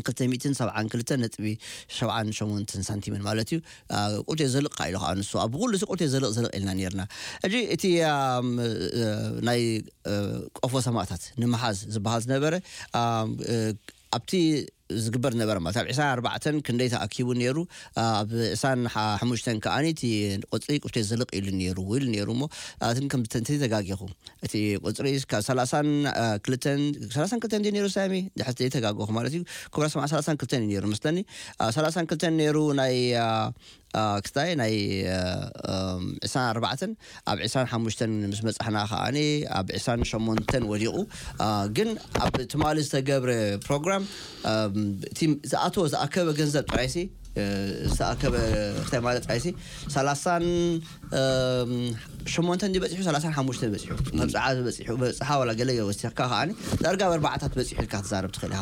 ክልተ ሚእትን ሰብዓን ክልተን ነጥቢ ሰብዓን ሸሞንተን ሳንቲምን ማለት እዩ። አ፣ ቁርቴ ዘልቕ ኢሉ ከዓ ንሱ ኣብ ኩሉ እዚ ቁርቴ ዘልቕ ዘልቕ ኢልና ነርና። ሕጂ እቲ፣ ኣም፣ እ፣ ናይ፣ እ፣ ቆፎ ሰማእታት ንምሓዝ ዝበሃል ዝነበረ፣ ኣም፣ እ፣ ኣብቲ ዝግበር ነበረ ማለት ኣብ ዕስራን ኣርባዕተን ክንደይ ተኣኪቡ ነይሩ፣ ኣብ ዕስራን ሓሙሽተን ከኣ እቲ ቁጽሪ ቁርቴ ዘልቕ ኢሉ ነይሩ፣ ኢሉ ነይሩ እሞ፣ ኣትን ከም ተንተን ተጋጊኹ። እቲ ቁጽሪ ካብ ሰላሳን ክልተን፣ ሰላሳን ክልተን ድዩ ነይሩ ሳሚ? ድሕር ዘይተጋገኹ ማለት እዩ። ክቡራት ሰማዕቲ ሰላሳን ክልተን እዩ ነይሩ መስለኒ። አ፣ ሰላሳን ክልተን ነይሩ ናይ፣ አ፣ አ፣ ክስታይ ናይ፣ አ፣ እም፣ ዕስራን ኣርባዕተን፣ ኣብ ዕስራን ሓሙሽተን ምስ በጻሕና ከኣኒ ኣብ ዕስራን ሸሞንተን ወዲቑ። አ፣ ግን ኣብ ትማሊ ዝተገብረ ፕሮግራም፣ ኣም፣ እቲ ዝኣተወ ዝኣከበ ገንዘብ ጥራይሲ፣ እ፣ ዝተኣከበ ክስታይ ማለት ጥራይሲ ሰላሳን እም፣ ሸሞንተ እንዲ በጺሑ፣ ሰላሳን ሓሙሽተ በጺሑ፣ መብጽዓ በጺሑ፣ በጽሓ ዋላ ገለ ወሲኽካ ከኣኒ ዳርጋ ኣብ ኣርባዓታት በጺሑ ኢልካ ክትዛረብ ትኽእል ኢኻ።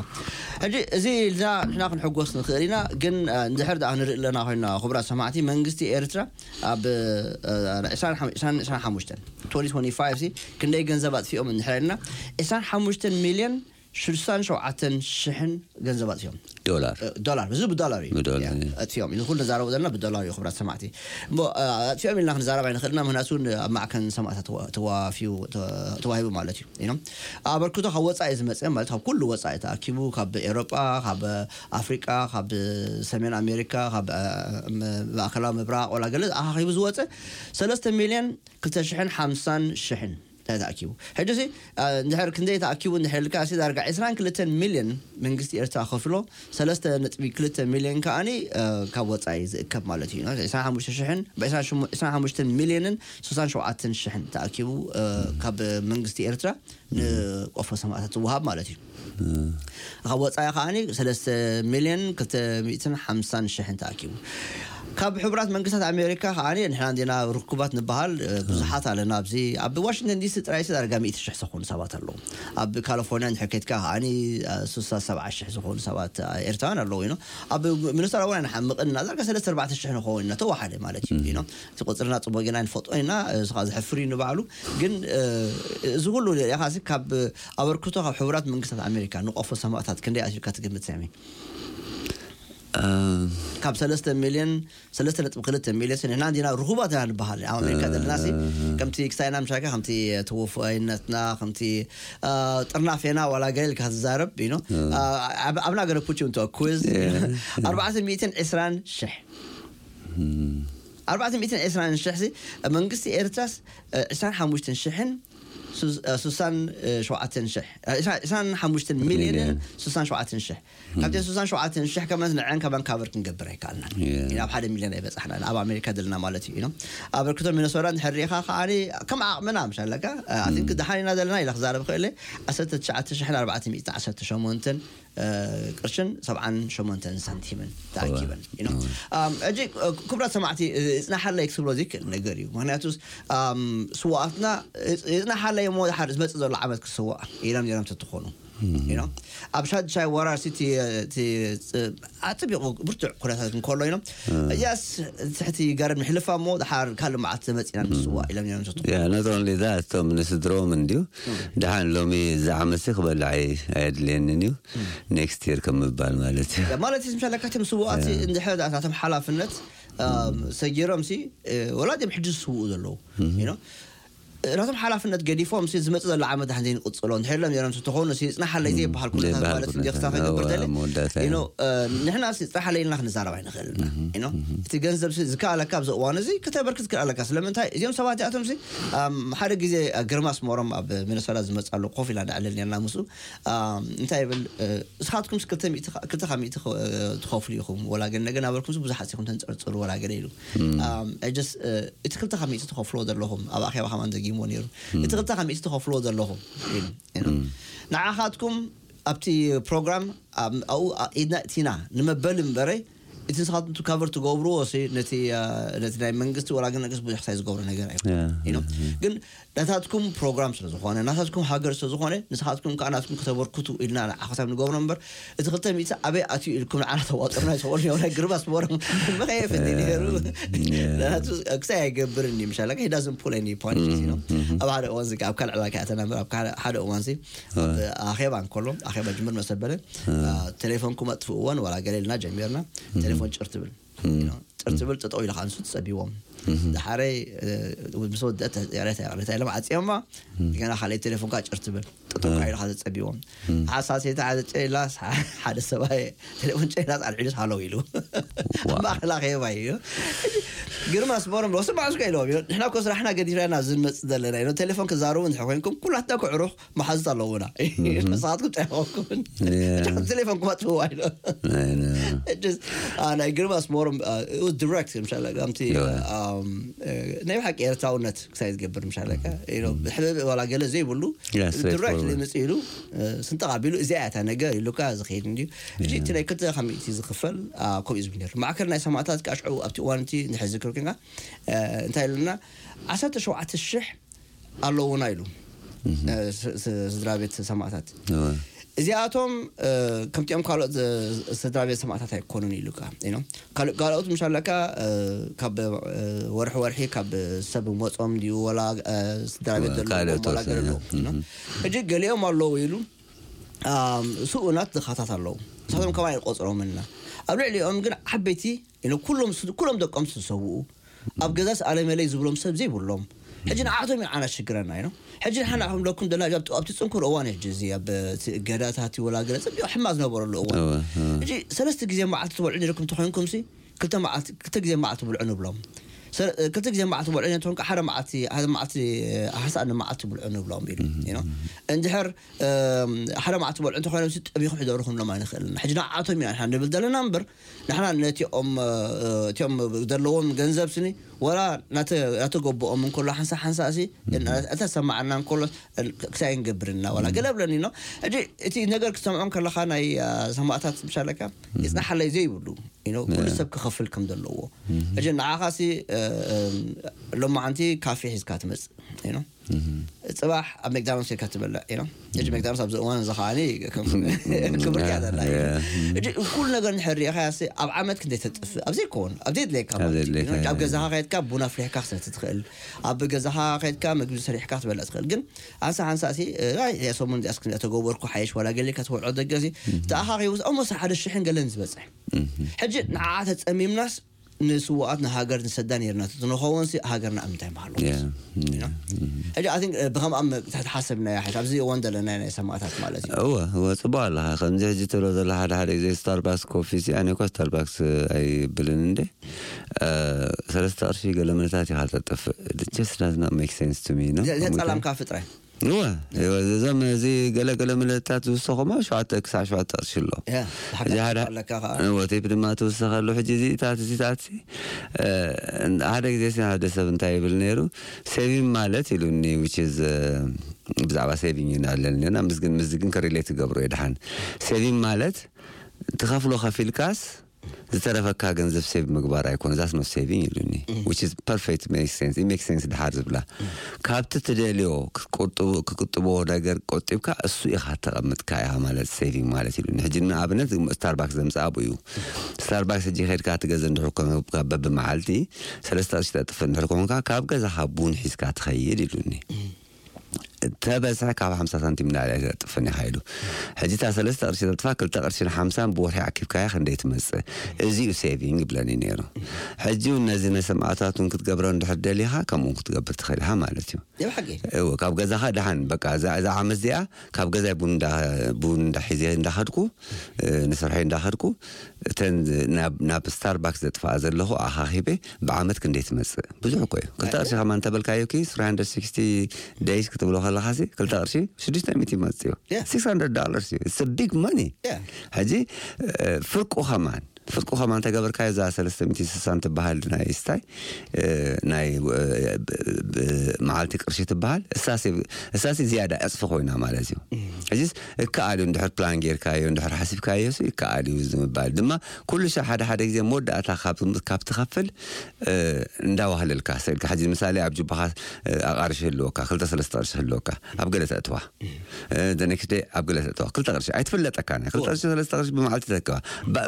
ሕጂ እዚ ኢልና ንሕና ክንሕጎስ ንኽእል ኢና፣ ግን፣ እ፣ እንድሕር ደኣ ክንርኢ ኣለና ኮይና፣ ክቡራት ሰማዕቲ፣ መንግስቲ ኤርትራ ኣብ፣ እ፣ ዕስራን ሓሙሽተን፣ ዕስራን ሓሙሽተን፣ ትወንቲ ትወንቲ ፋይቭ ሲ ክንደይ ገንዘብ ኣጥፊኦም እንድሕር ኢልና፣ ዕስራን ሓሙሽተን ሚልዮን ሽዱሽተን ሸውዓተን ሽሕን ገንዘብ ኣጥፊኦም። ዶላር። እ፣ ዶላር፣ እዚ ብዶላር እዩ። ብዶላር፣ ያ፣ እዩ። ኣጥፊኦም። እዚ ኩሉ ንዛረቦ ዘለና ብዶላር እዩ፣ ክቡራት ሰማዕቲ። እሞ፣ እ፣ ኣጥፊኦም ኢልና ክንዛረብ ኣይንኽእልና፣ ምኽንያቱ ን-፣ ኣብ ማዕከን ሰማእታት ተዋ-፣ ተዋፊዩ፣ ተ-፣ ተዋሂቡ ማለት እዩ። ኢኖም ኣበርክቶ ካብ ወጻኢ ዝመጸ ማለት ካብ ኩሉ ወጻኢ ተኣኪቡ፣ ካብ ኤውሮጳ፣ ካብ ኣፍሪቃ፣ ካብ ሰሜን ኣሜሪካ፣ ካብ፣ እ፣ ም-፣ ማእከላዊ ምብራቕ፣ ወላ ገለ ኣኻኺቡ ዝወጸ ሰለስተ ሚልዮን ክልተ ሽሕን ሓምሳን ሽሕን ተኣኪቡ። ሕጂ ሲ እንድሕር ክንደይ ተኣኪቡ እንድሕር ኢልካ ሲ ዳርጋ ዕስራን ክልተን ሚልዮን መንግስቲ ኤርትራ ከፍሎ፣ ሰለስተ ነጥቢ ክልተ ሚልዮን ከኣኒ ካብ ወፃኢ ዝእከብ ማለት እዩ። ዕስራን ሓሙሽተ ሽሕን፣ ዕስራን ሓሙሽተ ሚልዮንን ስሳን ሸውዓተን ሽሕን ተኣኪቡ ካብ መንግስቲ ኤርትራ ንቆፎ ሰማእታት ዝወሃብ ማለት እዩ። ካብ ወፃኢ ከዓኒ ሰለስተ ሚልዮን ክልተ ሚእትን ሓምሳን ሽሕን ተኣኪቡ። ካብ ሕቡራት መንግስታት ኣሜሪካ ከዓኒ ንሕና እንዲና ርኩባት ንበሃል ብዙሓት ኣለና። ኣብዚ ኣብ ዋሽንግተን ዲሲ ጥራይ ዳርጋ ሚእቲ ሽሕ ዝኾኑ ሰባት ኣለዉ። ኣብ ካሊፎርኒያ እንድሕር ከድካ ከዓኒ ስሳ ሰብዓ ሽሕ ዝኾኑ ሰባት ኤርትራውያን ኣለዉ። ይኖ ኣብ ሚኒሶታ እውን ኣይንሓምቕን ኢና። ዳርጋ ሰለስተ ኣርባዕተ ሽሕ ንኸውን ኢና ተዋሓደ ማለት እዩ። ይኖ እቲ ቁፅርና ፅቡቅ ጌና ንፈልጦ ኢና። እዚ ከዓ ዘሕፍር እዩ ንባዕሉ። ግን እዚ ኩሉ ሪኢኻ ካብ ኣበርክቶ ካብ ሕቡራት መንግስታት ኣሜሪካ ንቆፎ ሰማእታት ክንደይ ኣትዩካ ትግምት ሰሚ? ካብ ሰለስተ ሚልዮን ሰለስተ ነጥቢ ክልተ ሚልዮን ንሕና እንዲና ርሁባት ኢና ንበሃል ኣብ ኣሜሪካ ዘለና ሲ ከምቲ ክሳይና ምሻካ ከምቲ ተወፋይነትና ከምቲ ጥርናፌና ዋላ ገለ ኢልካ ትዛረብ you know I'm not gonna put you into a quiz ኣርባዕተ ሚእትን ዕስራን ሽሕ ኣርባዕተ ሚእትን ዕስራን ሽሕ መንግስቲ ኤርትራስ ዕስራን ሓሙሽተን ሽሕን ስሳን ሸውዓተን ሽሕ ዕስራን ሓሙሽተን ሚልዮንን ስሳን ሸውዓተን ሽሕ ካብቲ ስሳን ሸውዓተን ሽሕ ከመንስ ንዐን ከማን ካቨር ክንገብር ኣይከኣልናን ኢና ኣብ ሓደ ሚልዮን ኣይበፃሕናን ኣብ ኣሜሪካ ዘለና ማለት እዩ ኣበርክቶ ሚነሶታ እንድሕር ሪኢኻ ከዓ ከም ዓቕምና ምሽ ኣለካ ኣቲንክ ደሓን ኢና ዘለና ኢለ ክዛረብ ክእለ ዓሰርተ ትሽዓተ ሽሕን ኣርባዕተ ሚእትን ዓሰርተ ሸሞንተን ቅርሽን ሰብዓን ሸሞንተን ሳንቲምን ተኣኪበን ሕጂ ክቡራት ሰማዕቲ ይፅናሓለይ ክትብሎ ዘይክእል ነገር እዩ ምክንያቱ ስዋኣትና ይፅናሓለይ እሞ ድሓር ዝመፅእ ዘሎ ዓመት ክስዋእ ኢሎም ነይሮም ተትኾኑ ኣብ ሻድሻይ ወራር ሲቲ ኣፅቢቑ ብርቱዕ ኩነታት እንከሎ ኢሎም እያስ ትሕቲ ገረድ ምሕልፋ እሞ ድሓር ካልእ መዓልቲ መፂና ንስዋ ኢሎም እዮም ዝትኩ Yeah, not only that, እቶም ንስድሮም እንድዩ ድሓን ሎሚ እዚ ዓመትሲ ክበልዕ ኣይ- ኣየድልየንን እዩ ኔክስት የር ከም ምባል ማለት እዩ ማለት እዩ ምሻለካ እቶም ስዋኣት እንድሕር ናቶም ሓላፍነት ሰጊሮም ሲ ወላ ድም ሕጂ ዝስውኡ ዘለዉ you know ናቶም ሓላፍነት ገዲፎም ሲ ዝመፅእ ዘሎ ዓመት ዳሕን ዘይንቅፅሎ እንድሕር ሎም ነሮም ተኾኑ ሲ ፅናሓለይ ዘይበሃል ኩነታት ማለት እንዲ ክሳብ ከይገብር ደለ you know ንሕና ሲ ፅናሓለይ ኢልና ክንዛረብ ኣይንኽእል ኢና you know እቲ ገንዘብ ሲ ዝከኣለካ ኣብዚ እዋን እዚ ከተበርክት ክእል ኣለካ ስለምንታይ እዚኦም ሰባት እዚኣቶም ሲ ሓደ ግዜ ግርማ ኣስመሮም ኣብ ሚነሶታ ዝመፅእ ኣሎ ኮፍ ኢልና ንዕልል ነርና ምስኡ እንታይ ይብል ንስኻትኩም ክልተ ካብ ሚእቲ ትኸፍሉ ኢኹም ወላ ግን ነገ ናበልኩም ብዙሓት ኢኹም ተንፀርፅሩ ወላ ገለ ኢሉ just እቲ ክልተ ካብ ሚእቲ ትኸፍልዎ ዘለኹም ኣብ ኣኼባ ከማን ደጊምዎ ነይሩ እቲ ክልተ ካብ ሚእቲ ትኸፍልዎ ዘለኹም ኢሉ ንዓኻትኩም ኣብቲ ፕሮግራም ኣብኡ ኢድና እቲና ንመበል እምበረ እቲ ንስኻትኩም ካቨር ትገብርዎ ነቲ ናይ መንግስቲ ወላ ግን ነገስ ብዙሕ ክሳይ ዝገብሮ ነገር ኣይኮነ ግን ናታትኩም ፕሮግራም ስለ ዝኾነ ናታትኩም ሃገር ስለ ዝኾነ ንስኻትኩም ከዓ ናትኩም ከተበርክቱ ኢልና ንዓኸሳብ ንገብሮ እምበር እቲ ክልተ ሚእቲ ኣበይ ኣትዩ ኢልኩም ንዓና ተዋጥሩና ይሰበሉ እዮም ናይ ግርባስ ቦሮም መኸየፈኒ ነይሩ ናቱ ክሳይ ኣይገብርን እዩ ምሻላ ሂዳዝን ፑል ኒ ፖይንት ነው ኣብ ሓደ እዋን ዝጋ ኣብ ካልዕ ዕላካ ኣተና እምበር ኣብ ሓደ እዋን ሲ ኣብ ኣኼባ እንከሎ ኣኼባ ጅምር መሰበለ ቴሌፎንኩም ኣጥፍእዎን ዋላ ገለ ኢልና ጀሚርና ቴሌፎን ጭር ትብል ጭር ትብል ጠጠው ኢልካ ንሱ ትፀቢዎም ድሓረይ ምስ ወደአት ሬታ ሬታ ኢሎም ዓፅዮማ ገና ካልኣይ ቴሌፎንካ ጭር ትብል ጠጠው ኢልካ ትፀቢዎም ሓሳሴታ ሓደ ጨላ ሓደ ሰብኣይ ቴሌፎን ጨላ ኣልዒሉስ ሃለው ኢሉ ኣብ ማእኸል ኣኼባ እዩ ግርማ ስመሮም ሎ ስማዕ እስከ ኢሎም እዩ ንሕና እኮ ስራሕና ገዲፍና ኢና ዝንመፅእ ዘለና ኢሎም ቴሌፎን ክዛረቡ እንድሕር ኮይንኩም ኩላትና ክዕሩኽ መሓዙት ኣለውና ንስኻትኩም ጨይኾኩም ቴሌፎንኩም ኣጥፍዋ ኢሎ ናይ ግርማ ስመሮም ዲሬክት ምሻለ ከምቲ ናይ ብሓቂ ኤርትራውነት ክሳይ ዝገብር ምሻለካ ብሕብብ ዋላ ገለ ዘይብሉ ዲሬክት ምፅ ኢሉ ስንጠቕ ኣቢሉ እዚኣ እያ እታ ነገር ኢሉካ ዝኸይድ እንድዩ ሕጂ እቲ ናይ ክልተ ካብ ሚእቲ ዝኽፈል ከምኡ እዩ ዝብል ነይሩ ማዕከል ናይ ሰማእታት ከዓ ሽዑ ኣብቲ እዋን እቲ እንድሕር ዝክር ኮይንካ እንታይ ኢሉና ዓሰርተ ሸውዓተ ሽሕ ኣለዉና ኢሉ ስድራ ቤት ሰማእታት እዚኣቶም ከምቲኦም ካልኦት ስድራ ቤት ሰማእታት ኣይኮኑን ኢሉ ካልኦት ምሽ ኣለካ ካብ ወርሒ ወርሒ ካብ ሰብ መፆም ድዩ ወላ ስድራ ቤት ዘለዎም ሕጂ ገሊኦም ኣለዉ ኢሉ ስኡናት ድኻታት ኣለዉ ንሳቶም ከማይ ቆፅሮምና ኣብ ልዕሊኦም ግን ዓበይቲ ኩሎም ኩሎም ደቆም ዝሰውኡ ኣብ ገዛስ ኣለመለይ ዝብሎም ሰብ ዘይብሎም ሕጂ ንዓቶም ኢና ዓና ሽግረና ኢና ሕጂ ንሓና ከም ለኩም ደና ኣብቲ ፅንኩር እዋን ሕጂ እዚ ኣብ ገዳታት ወላ ገለ ፅቢቅ ሕማ ዝነበረሉ እዋን ሕጂ ሰለስተ ግዜ መዓልቲ ትበልዑ ነርኩም ተኮይንኩም ሲ ክልተ መዓልቲ ክልተ ግዜ መዓልቲ ብልዑ ንብሎም ሰለ- ክልተ ግዜ መዓልቲ በልዑ እንተኾንካ ሓደ መዓልቲ ሓደ መዓልቲ ሓንሳእ ንመዓልቲ ብልዑ ንብሎም ኢሉ you know። እንድሕር እም፣ ሓደ መዓልቲ በልዑ እንተኾይኖም ሲ ጠቢኹ ሕደሩ ክንብሎም ኣይንኽእልን። ሕጂ ንዓቶም ኢና ንሕና ንብል ዘለና እምበር ንሕና ነቲኦም እ፣ እቲኦም ዘለዎም ገንዘብ ስኒ ወላ ናተ- ናተገበኦም እንከሎ ሓንሳ ሓንሳ ሲ እተሰማዓና እንከሎ ክሳይ ንገብርና ወላ ገለ ብለኒ ነው። ሕጂ እቲ ነገር ክትሰምዖም ከለኻ ናይ እ፣ ሰማእታት ምሻለካ ይጽናሓለይ ዘይብሉ you know፣ ኩሉ ሰብ ክኸፍል ከም ዘለዎ። ሕጂ ንዓኻ ሲ እ፣ እ፣ ሎማዓንቲ ካፌ ሒዝካ ትመጽእ you know። ጽባሕ ኣብ መክዳኖስ ኢልካ ትበልዕ you know። ሕጂ መክዳኖስ ኣብዚ እዋን እዚ ከዓኒ ከም ክብር እያ ዘላ you know። ሕጂ ኩሉ ነገር እንድሕር ሪኢኻያ ሲ ኣብ ዓመት ክንደይ ተጥፍእ ኣብ ዘይከውን ኣብ ዘይድለየካ ኣብ ማለት እዩ። ዘይድለየካ you know፣ ኣብ ገዛኻ ከድካ ቡና ኣፍሊሕካ ክሰቲ ትኽእል፣ ኣብ ገዛኻ ከድካ ምግቢ ሰሪሕካ ክትበልዕ ትኽእል። ግን ኣንሳ ሓንሳ ሲ እ፣ ኣይ እዚኣ ሰሙን እዚኣስ ክንደይ ተገበርኩ ሓይሽ ዋላ ገሊካ ትበልዖ ደገ ሲ ተኣኻኺቡ ኦሞስ ሓደ ሽሕን ገለን ዝበጽሕ ሕጂ ንዓ ተጸሚምናስ ንስዋኣት ንሃገር ንሰዳ ነርና ንኸውን ሲ ሃገርና ኣብ ምንታይ ምሃሉ ሕጂ ኣን ብከምኣ ተሓሰብና ሓሽ ኣብዚ እዋን ዘለና ናይ ሰማእታት ማለት እዩ። እወ እወ፣ ጽቡቅ ኣለኻ። ከምዚ ሕጂ ትብሎ ዘሎ ሓደ ሓደ ግዜ ስታርባክስ ኮፊ ሲ ኣነ እኳ ስታርባክስ ኣይብልን እንዴ። እ፣ ሰለስተ ቅርሺ ገለ ምልታት ኢኻ ተጥፍእ። Just does not make sense to me ነው። ዘ- ዘጸላምካ ፍጥረ እወ እወ፣ እዞም እዚ ገለገለ ምልእታት ዝውሰኹማ ሸዋተ ክሳዕ ሸዋተ ቅርሺ ኣሎ። ያ፣ እዚ ሓደ ኣለካ ከዓ። እወ፣ ቴፕ ድማ ትውሰኸሉ። ሕጂ እዚታት እዚታት እ፣ ሓደ ግዜ ሲ ሓደ ሰብ እንታይ ይብል ነይሩ፣ ሴቪንግ ማለት ኢሉኒ። Which is ብዛዕባ ሴቪንግ ኢና ኣለና ምስግን ምስግን ከሪሌት ትገብሮ የድሓን። ሴቪንግ ማለት ትኸፍሎ ከፊልካስ ዝተረፈካ ገንዘብ ሴቭ ምግባር ኣይኮነ። That's not saving ኢሉኒ። Which is perfect, make sense, it make sense ድሓር ዝብላ ካብቲ ትደልዮ ክትቁጥቡ ክቁጥቦ ነገር ቆጢብካ እሱ ኢኻ ተቐምጥካ ኢኻ ማለት ሴቪንግ ማለት ኢሉኒ። ሕጂ ንኣብነት ስታርባክስ ዘምጽኣ ብኡ እዩ። ስታርባክስ ሕጂ ከድካ ትገዘ እንድሕር ኮንካ በብመዓልቲ ሰለስተ ቅርሺ ተጥፍ እንድሕር ኮንካ ካብ ገዛኻ ቡን ሒዝካ ትኸይድ ኢሉኒ። ተበዝሐ ካብ ሓምሳ ሳንቲም ንላዕሊ ኣይተጥፍን ኢኻ ኢሉ። ሕጂ እታ ሰለስተ ቅርሺ ተጥፋ ክልተ ቅርሽን ሓምሳን ብወርሒ ኣኪብካያ ክንደይ ትመጽእ? እዚ እዩ ሴቪንግ ይብለኒ ነይሩ። ሕጂ እውን ነዚ ነሰማእታት እውን ክትገብሮ እንድሕር ደሊኻ ከምኡ እውን ክትገብር ትኽእል ኢኻ ማለት እዩ። የብሓቂ እዎ፣ ካብ ገዛኻ ደሓን በቃ እዛ እዛ ዓመት እዚኣ ካብ ገዛይ ቡን እንዳ- ቡን እንዳሒዘ እንዳኸድኩ እ፣ ንስርሐይ እንዳኸድኩ እተን ናብ ናብ ስታርባክስ ዘጥፋኣ ዘለኹ ኣኻኺበ ብዓመት ክንደይ ትመጽእ? ብዙሕ እኮ እዩ። ክልተ ቅርሺ ከማን እንተበልካዮ ኪ three hundred sixty days ክትብሎ ከለኻ ሲ ክልተ ቅርሺ ሽዱሽተ ሚእቲ ይመጽእ እዩ። Yeah. Six hundred dollars እዩ። It's a big money። Yeah. ሕጂ እ፣ ፍርቁ ከማን ፍርቁ ከማን እንተገበርካዮ እዛ ሰለስተ ሚእቲ ስሳን ትበሃል ናይ ስታይ እ፣ ናይ እ፣ ብ- ብ- መዓልቲ ቅርሺ ትበሃል እሳሲ እሳሲ ዝያዳ ዕፅፊ ኮይና ማለት እዩ። ሕጂስ እከኣል እዩ እንድሕር ፕላን ጌርካዮ እንድሕር ሓሲብካዮ ሲ እከኣል እዩ ዝምባል ድማ ኩሉ ሻዕ ሓደ ሓደ ግዜ መወዳእታ ካብ ካብ ትኸፍል እ፣ እንዳዋህለልካ ሰልካ ሕጂ ምሳሌ ኣብ ጅባኻ እ፣ ኣቃርሺ ህልወካ ክልተ ሰለስተ ቅርሺ ህልወካ ኣብ ገለ ተእትዋ the next day ኣብ ገለ ተእትዋ ክልተ ቅርሺ ኣይትፍለጠካ ናይ ክልተ ቅርሺ ሰለስተ ቅርሺ ብመዓልቲ ተክባ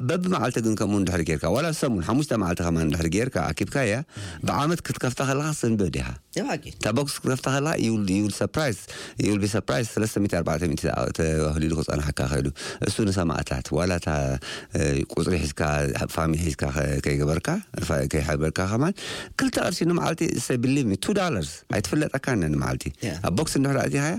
በብመዓልቲ ግን ከምኡ እንድሕር ጌርካ ዋላ ሰሙን ሓሙሽተ መዓልቲ ከማን እንድሕር ጌርካ ኣኪብካያ ብዓመት ክትከፍታ ከለካ ስንብድ ኢኻ። የባቂ እታ ቦክስ ክትከፍታ ከለካ you will surprise you will be surprised ሰለስተ ሚእቲ ኣርባዕተ ሚእቲ ተዋህሊሉ ክፀናሓካ ክእሉ እሱ ንሰማእታት ዋላ እታ ቁፅሪ ሒዝካ ፋሚሊ ሒዝካ ከይገበርካ ከይሓበርካ ከማን ክልተ ቅርሺ ንመዓልቲ say believe me two dollars ኣይትፍለጠካ ነ ንመዓልቲ ኣብ ቦክስ እንድሕር ኣእቲኻያ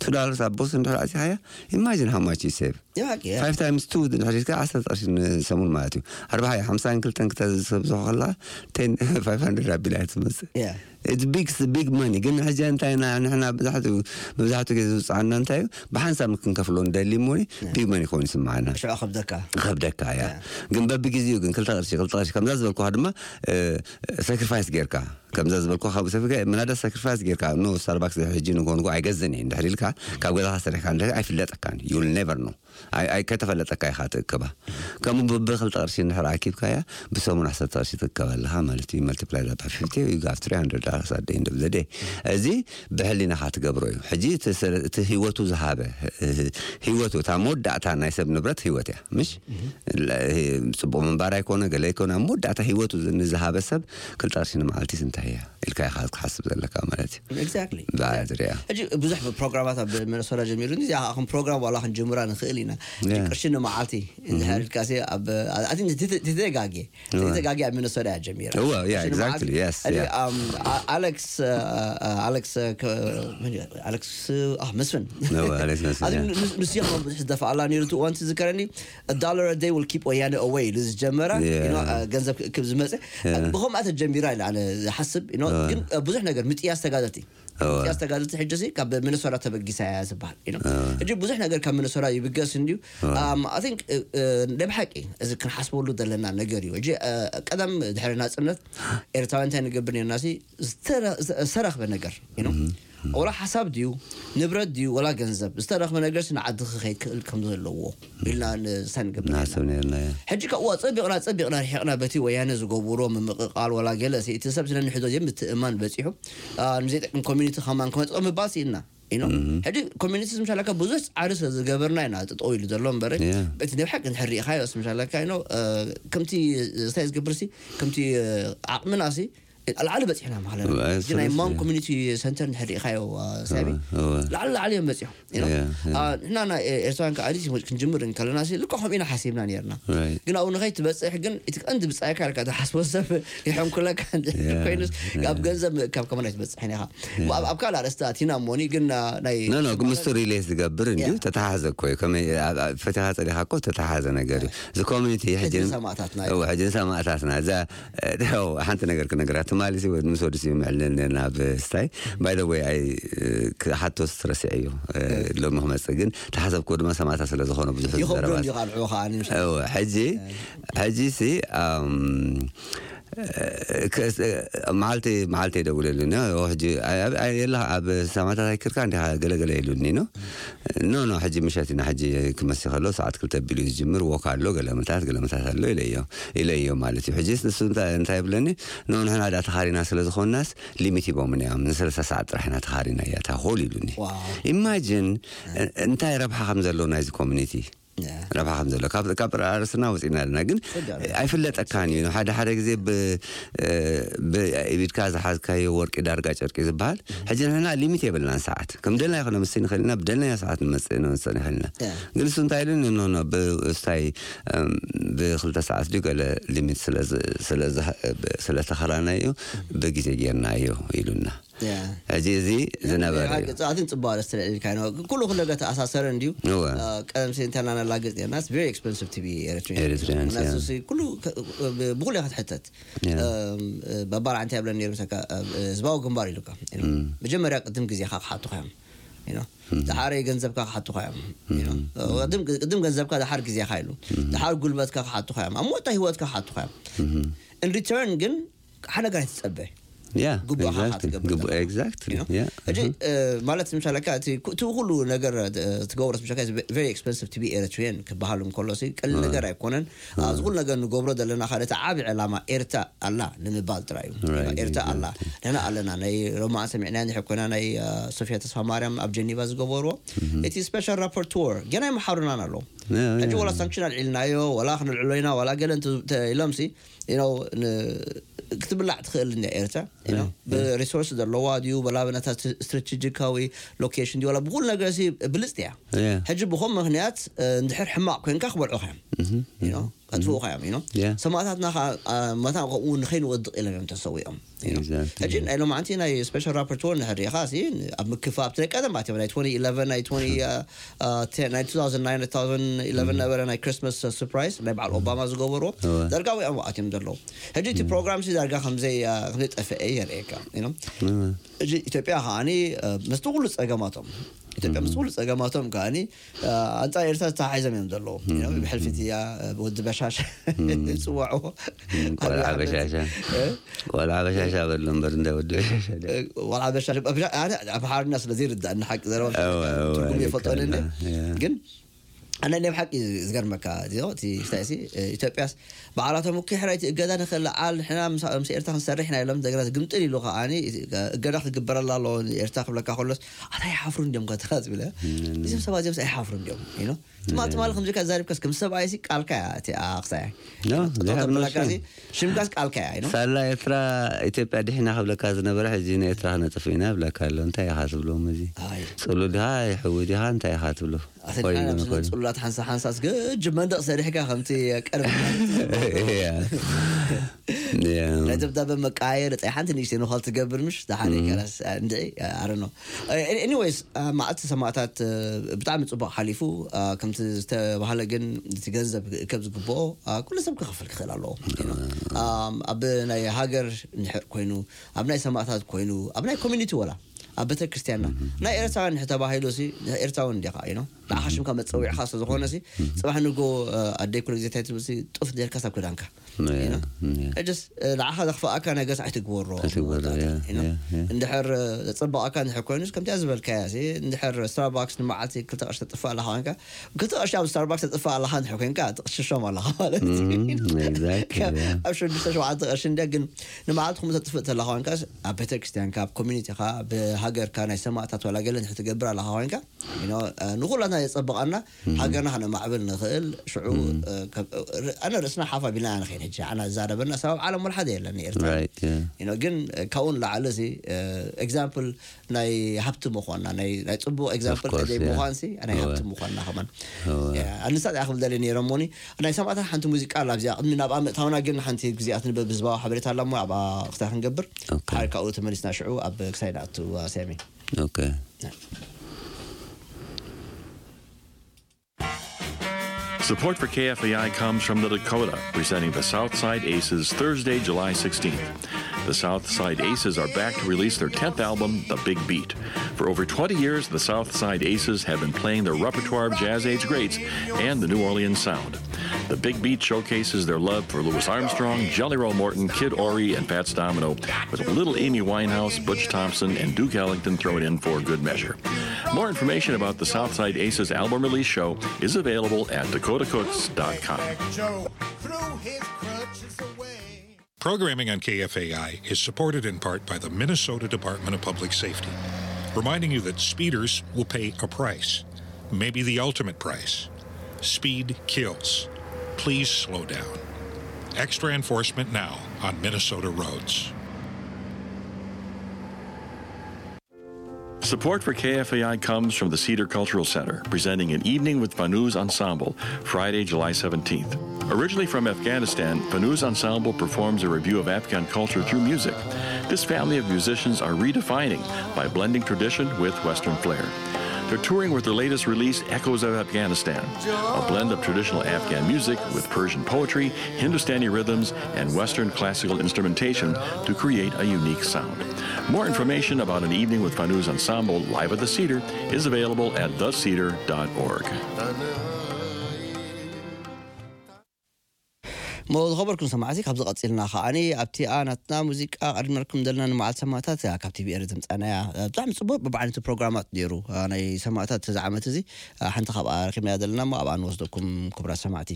two dollars ኣብ ቦክስ እንድሕር ኣእቲኻያ imagine how much you save የባቂ five times two እንድሕር ኢልካ ዓሰርተ ቅርሺ ንሰሙን ማለት እዩ ኣርባዓ ሓምሳን ክልተን ክተዝሰብዝሖ ከለካ ten five hundred ኣቢላ እያ ትመፅእ Yeah. It's big big money ግን ሕጂ እንታይ ኢና ንሕና ብዛሕቱ መብዛሕቱ ግዜ ዝውፅዓና እንታይ እዩ ብሓንሳብ ክንከፍሎ ንደሊ እሞ big money ኮይኑ ይስምዓና ሽዑ ከብደካ ከብደካ እያ ግን በብግዜኡ ግን ክልተ ቅርሺ ክልተ ቅርሺ ከምዛ ዝበልኩካ ድማ ሳክሪፋይስ ጌርካ ከምዛ ዝበልኩ ካብ ሰብ ምናዳ ሳክሪፋይስ ጌርካ ኖ ስታርባክስ ሕጂ ንኮንኩ ኣይገዝን እየ እንድሕር ኢልካ ካብ ገዛካ ሰሪሕካ እንድሕር ኣይፍለጠካን you will never know ኣይከተፈለጠካ ኢኻ ትእክባ ከምኡ ብብክልተ ቅርሺ እንድሕር ኣኪብካያ ብሰሙን ዓሰርተ ቅርሺ ትእከብ ኣለኻ ማለት እዩ multiply that by fifty you have three hundred dollars at the end of the day እዚ ብሕሊናኻ ትገብሮ እዩ ሕጂ እቲ ህይወቱ ዝሃበ ህይወቱ እታ መወዳእታ ናይ ሰብ ንብረት ህይወት እያ ምሽ ፅቡቅ ምንባር ኣይኮነ ገለ ኣይኮነ ኣብ መወዳእታ ህይወቱ ንዝሃበ ሰብ ክልተ ቅርሺ ንመዓልቲ እንታይ እያ ኢልካ ኢኻ ክትሓስብ ዘለካ ማለት እዩ exactly ብኣድርያ ሕጂ ብዙሕ ፕሮግራማት ኣብ ሚነሶታ ጀሚሩ እዚ ከም ፕሮግራም ዋላ ክንጅምራ ንኽእል ኢና ሕጂ ቅርሺ ንመዓልቲ እንድሕር ኢልካ ሲ ኣብ ተተጋጊ ተተጋጊ ኣብ ሚነሶታ እያ ጀሚራ እወ yeah exactly yes yeah ኣሌክስ ኣሌክስ ኣሌክስ መስፍን ኣሌክስ መስፍን ንስያ ብዙሕ ዝደፋኣላ ነሩ እዋን ትዝከረኒ። Dollar a day will keep ወያነ away ኢሉ ዝጀመረ ገንዘብ ክእክብ ዝመፀ ብኸምኣ ተጀሚራ ኢለ ኣነ ዝሓስብ። ግን ብዙሕ ነገር ምጥያስ ተጋደልቲ ምጥያስ ተጋደልቲ ሕጂ ካብ ሚነሶታ ተበጊሳ እያ ዝበሃል። ሕጂ ብዙሕ ነገር ካብ ሚነሶታ ይብገስ እንድዩ። I think ናይ ብሓቂ እዚ ክንሓስበሉ ዘለና ነገር እዩ። ሕጂ ቀደም ድሕሪ ናፅነት ኤርትራውያን እንታይ ንገብር ነርና ሲ ዝተረኽበ ነገር ወላ ሓሳብ ድዩ ንብረት ድዩ ወላ ገንዘብ ዝተረኽበ ነገር ንዓዲ ክኸይድ ክእል ከም ዘለዎ ኢልና ንሳ ንገብር ነርና። ሕጂ ካብኡ ኣፀቢቕና ኣፀቢቕና ርሒቕና በቲ ወያነ ዝገብሮ ምምቕቓል ወላ ገለ እቲ ሰብ ስለንሕዞ ዘይምትእማን በፂሑ ንዘይጠቅም ኮሚኒቲ ከማን ክመፅኦ ምባል ስኢልና። ሕጂ ኮሚኒቲ ምሻለካ ብዙሕ ፃዕሪ ስለ ዝገበርና ኢና ጠጠው ኢሉ ዘሎ እምበር በቲ ናይ ብሓቂ እንድሕር ርኢኻዮ ምሻለካ ከምቲ እንታይ ዝገብር ሲ ከምቲ ዓቕምና ሲ ላዕሊ በፂሕና ማለት እዩ። ናይ ማን ኮሚኒቲ ሰንተር እንድሕር ርኢኻዮ ሳቢ ላዕሊ ላዕሊ እዮም በፂሖም። ንሕና ናይ ኤርትራውያን ከዓ ክንጅምር እንከለና ልክዕ ከምኡ ኢና ሓሲብና ነርና። ግን ኣብኡ ንኸይትበፅሕ ግን እቲ ቀንዲ ብፃይካ ኢልካ ትሓስቦ ሰብ ይሐንኩለካ ኮይኑስ ኣብ ገንዘብ ምእካብ ከመን ኣይትበፅሕን ኢኻ። ኣብ ካልእ ኣርእስቲ ኣቲና እሞኒ ግን ናይ ኖ ኖ ግን ምስቱ ሪሌት ዝገብር እንድዩ። ተተሓዘ እኮ እዩ። ከመይ ፈቲኻ ፀሊኻ እኮ ተተሓዘ ነገር እዩ። እዚ ኮሚኒቲ ሕጂ ሰማእታትና ሕጂ ሰማእታትና እዛ ሓንቲ ነገር ክነግራ ትማሊ ምስ ወዲ ምዕልል ናብ ስታይ ባይ ወይ ኣይ ክሓቶስ ረሲዐ እዩ። ሎሚ ክመፅእ ግን ተሓሰብኩ ድማ ሰማእታት ስለ ዝኾነ ብዙሕ ዘረባ ሕጂ ሕጂ ሲ መዓልቲ መዓልቲ የደውለሉኒ። ሕጂ የላ ኣብ ሰማእታት ኣይክርካ እንዲኻ ገለገለ ኢሉኒ ነው። ኖ ኖ ሕጂ ምሸት ኢና ሕጂ ክመሲ ከሎ ሰዓት ክልተ ቢሉ ዝጅምር ወክ ኣሎ ገለመታት ገለመታት ኣሎ ኢለዮ ኢለዮ ማለት እዩ። ሕጂ ንሱ እንታይ ይብለኒ? ኖ ንሕና ዳ ተኻሪና ስለ ዝኾንናስ ሊሚት ሂቦምና እዮም። ንሰለስተ ሰዓት ጥራሕ ኢና ተኻሪና እያ እታ ሆል ኢሉኒ። ኢማጂን እንታይ ረብሓ ከም ዘለዎ ናይዚ ኮሚኒቲ ረብሓ ከም ዘሎ ካብ ርእስና ወፂና ኣለና። ግን ኣይፍለጠካን እዩ። ሓደ ሓደ ግዜ ብኢድካ ዝሓዝካዮ ወርቂ ዳርጋ ጨርቂ ዝበሃል ሕጂ ንሕና ሊሚት የብልናን ሰዓት ከም ደልና ይኮነ ምስ ንኽእል ኢና ብደልና ሰዓት ንመፅእ ንመፅእ ንኽእል ኢና። ግን እሱ እንታይ ኢሉ ንኖኖ ብስታይ ብክልተ ሰዓት ድዩ ገለ ሊሚት ስለተኸላናዮ ብግዜ ጌርናዮ ኢሉና። ሕጂ እዚ ዝነበረ እዩ። ኣትን ፅቡቅ ኣርእስቲ ልዕልልካ ኩሉ ኩለ ተኣሳሰረ እንድዩ። ቀደም ሲ እንተና ነላግፅ ርና very expensive to be Eritrean Eritreans, yeah. ኩሉ ብኩሉ ክትሕተት በባል ዓንተ ያብለን ነሩ ህዝባዊ ግንባር ኢሉካ መጀመርያ ቅድም ግዜካ ክሓቱካ እዮም። ደሓረ ገንዘብካ ክሓቱካ እዮም። ቅድም ገንዘብካ ደሓር ግዜካ ኢሉ ደሓር ጉልበትካ ክሓቱካ እዮም ኣብ ሞታ ህይወትካ ክሓቱካ እዮም። In return ግን ሓደ ነገር ኣይትፀበ ግቡእኻ ትገብር ሕጂ ማለት ምሻለካ እቲ ኩሉ ነገር ትገብሮ ምሻለካ very expensive to be Eritrean ክበሃል እንከሎ ቀሊል ነገር ኣይኮነን። ኣብዚ ኩሉ ነገር ንገብሮ ዘለና ካልእ ዓቢ ዕላማ ኤርትራ ኣላ ንምባል ጥራይ እዩ። ኤርትራ ኣላ ንሕና ኣለና ናይ ሮማን ሰሚዕና ንሕኮና ናይ ሶፊያ ተስፋ ማርያም ኣብ ጀኒቫ ዝገበርዎ እቲ special rapporteur ገና ይመሓሩናን ኣለዉ። ሕጂ ዋላ ሳንክሽን ኣልዒልናዮ ዋላ ክንልዕሎ ኢና ዋላ ገለ ኢሎምሲ ክትብላዕ ትኽእል እንድያ ኤርትራ ብሪሶርስ ዘለዋ ድዩ በላበነታ ስትራቴጂካዊ ሎኬሽን ድዩ ብኩሉ ነገር ብልፅቲ እያ። ሕጂ ብኸም ምክንያት እንድሕር ሕማቕ ኮንካ ክበልዑ ዮም ከጥፍኡ ዮም። ሰማእታትና መታ ከምኡ ንኸይንወድቕ ኢሎም እዮም ተሰዊኦም። ሕጂ ናይ ሎማዓንቲ ናይ ስፔሻል ራፖርት ወር ንሕሪኻ ኣብ ምክፋ ኣብቲ ናይ ቀደም ኣትዮም ናይ ናይ ነበረ ናይ ክሪስማስ ሰርፕራይዝ ናይ በዓል ኦባማ ዝገበርዎ ዳርጋ ወይኦም ኣትዮም ዘለዉ። ሕጂ እቲ ፕሮግራም ሲ ዳርጋ ከምዘይ ከምዘይጠፍአ የርእየካ። ሕጂ ኢትዮጵያ ከዓኒ ምስቲ ኩሉ ፀገማቶም ኢትዮጵያ ምስ ኩሉ ፀገማቶም ከዓኒ ኣንፃር ኤርትራ ዝተሓሒዞም እዮም ዘለዉ። ብሕልፊት እያ ብወዲ በሻሽ ዝፅዋዕዎ ቆልዓ በሻሻ ቆልዓ በሻሻ በሎ እምበር እንታይ ወዲ በሻሻ ቆልዓ በሻሻ ኣምሓርኛ ስለ ዘይርዳእ ንሓቂ ዘረባ ትርጉም የፈጠኒ ግን ኣነ ናይ ብሓቂ ዝገርመካ እቲ ስታይሲ ኢትዮጵያስ በዓላቶም እኮ ሕራይቲ እገዳ ንክልዓል ንሕና ምስ ኤርትራ ክንሰርሕ ኢና ኢሎም እንደገና ግምጥል ኢሉ ከዓኒ እገዳ ክግበረላ ኣለዎ ኤርትራ ክብለካ ከሎስ ኣታ ይሓፍሩ እንዲዮም ከተካ ዝብለ እዚም ሰባት እዚምስ ኣይሓፍሩ እንዲዮም ትማ ትማል ከምዚካ ዛሪብካስ ከም ሰብኣይሲ ቃልካ እያ እቲ ኣክሳያ ሽምካስ ቃልካ እያ ሳላ ኤርትራ ኢትዮጵያ ድሕና ክብለካ ዝነበረ ሕዚ ንኤርትራ ክነጥፍ ኢና ብለካ ኣሎ እንታይ ኢኻ ትብሎም እዚ ፅሉ ድኻ ይሕዊ ድኻ እንታይ ኢኻ ትብሎ ፅሉላት ሓንሳ ሓንሳ ስገጅ መንደቕ ሰሪሕካ ከምቲ ቀርብ Yeah. ናይ ደብዳበ መቃየር ፃይ ሓንቲ ንእሽተይ ንኸል ትገብር ምሽ ዝሓደ ከላስ እንድዒ ኣረኖ። Anyways፣ መዓልቲ ሰማእታት ብጣዕሚ ፅቡቅ ሓሊፉ። ከምቲ ዝተባህለ ግን እቲ ገንዘብ ከብ ዝግብኦ ኩሉ ሰብ ክኸፍል ክኽእል ኣለዎ። ኣብ ናይ ሃገር ንሕር ኮይኑ፣ ኣብ ናይ ሰማእታት ኮይኑ፣ ኣብ ናይ ኮሚኒቲ ወላ ኣብ ቤተክርስትያንና ናይ ኤርትራውያን ንሕ ተባሂሉ ሲ ኤርትራውን እንዲኻ ኢኖ ንዓኻ ሽምካ መፀዊዕኻ ስለዝኾነ ሲ ፅባሕ ንጎ ኣደይ ኩሉ ግዜ እንታይ ትብል ሲ ጡፍ ኔርካ ሳብ ክዳንካ ንዓኻ ዘኽፍኣካ ነገር ሲ ኣይትግበሮ። እንድሕር ዘፅበቐካ እንድሕር ኮይኑስ ከምቲያ ዝበልካያ ሲ እንድሕር ስታርባክስ ንመዓልቲ ክልተ ቅርሺ ተጥፍእ ኣለኻ ኮይንካ፣ ክልተ ቅርሺ ኣብ ስታርባክስ ተጥፍእ ኣለኻ እንድሕር ኮይንካ ትቕሽሾም ኣለኻ ማለት እዩ። ኣብ ሽዱሽተ ሸውዓተ ቅርሺ እንደ ግን ንመዓልቲ ኹም ተጥፍእ ተለኻ ኮይንካ ኣብ ቤተክርስትያንካ ኣብ ኮሚኒቲኻ ብሃገርካ ናይ ሰማእታት ዋላ ገለ እንድሕር ትገብር ኣለኻ ኮይንካ ንኹላትና የፀብቐና። ሃገርና ከነማዕብል ንኽእል ሽዑ ኣነ ርእስና ሓፍ ኣቢልና ንኸይድ ሕጂ ኣና ዝዛረበና ሰባብ ዓለም ወላ ሓደ የለን ኤርትራ። ግን ካብኡ ንላዕሊ ሲ ኤግዛምፕል ናይ ሃብቲ ምዃንና ናይ ናይ ፅቡቅ ኤግዛምፕል ከደይ ምዃን ሲ ናይ ሃብቲ ምዃንና ከማን ኣንሳ ያ ክብል ደለ ነይረ ሞኒ ናይ ሰማእታት ሓንቲ ሙዚቃ ኣላ ኣብዚኣ ቅድሚ ናብኣ ምእታውና ግን ሓንቲ ግዜኣ ትንበብ ህዝባዊ ሓበሬታ ኣላ ሞ ኣብኣ ክታይ ክንገብር ሓር ካብኡ ተመሊስና ሽዑ ኣብ ክሳይ ንኣቱ ኣስያሚ Okay. Support for K F A I comes from the Dakota, presenting the Southside Aces Thursday, July sixteenth. The Southside Aces are back to release their tenth album, The Big Beat. For over twenty years, the Southside Aces have been playing their repertoire of jazz age greats and the New Orleans sound. The Big Beat showcases their love for Louis Armstrong, Jelly Roll Morton, Kid Ory, and Fats Domino, with a little Amy Winehouse, Butch Thompson, and Duke Ellington thrown in for good measure. More information about the Southside Aces album release show is available at dakota cooks dot com. Programming on K F A I is supported in part by the Minnesota Department of Public Safety, reminding you that speeders will pay a price, maybe the ultimate price. Speed kills. Please slow down. Extra enforcement now on Minnesota roads. Support for K F A I comes from the Cedar Cultural Center, presenting an evening with Fanuz Ensemble, Friday, July seventeenth. Originally from Afghanistan, Fanuz Ensemble performs a review of Afghan culture through music. This family of musicians are redefining by blending tradition with Western flair. They're touring with their latest release, Echoes of Afghanistan, a blend of traditional Afghan music with Persian poetry, Hindustani rhythms, and Western classical instrumentation to create a unique sound. More information about an evening with Fanuz Ensemble live at the Cedar is available at the cedar dot org. እሞ ዝኸበርኩም ሰማዕቲ ካብዚ ቀፂልና ከዓኒ ኣብቲኣ ናትና ሙዚቃ ቀድመልኩም ዘለና ንመዓልቲ ሰማእታት ካብ ቲቪ ኤረ ዘምፃናያ ብጣዕሚ ፅቡቅ በብዓይነቱ ፕሮግራማት ነይሩ። ናይ ሰማእታት እዚ ዓመት እዚ ሓንቲ ካብኣ ረኪብናያ ዘለና እሞ ኣብኣ ንወስደኩም ክቡራት ሰማዕቲ።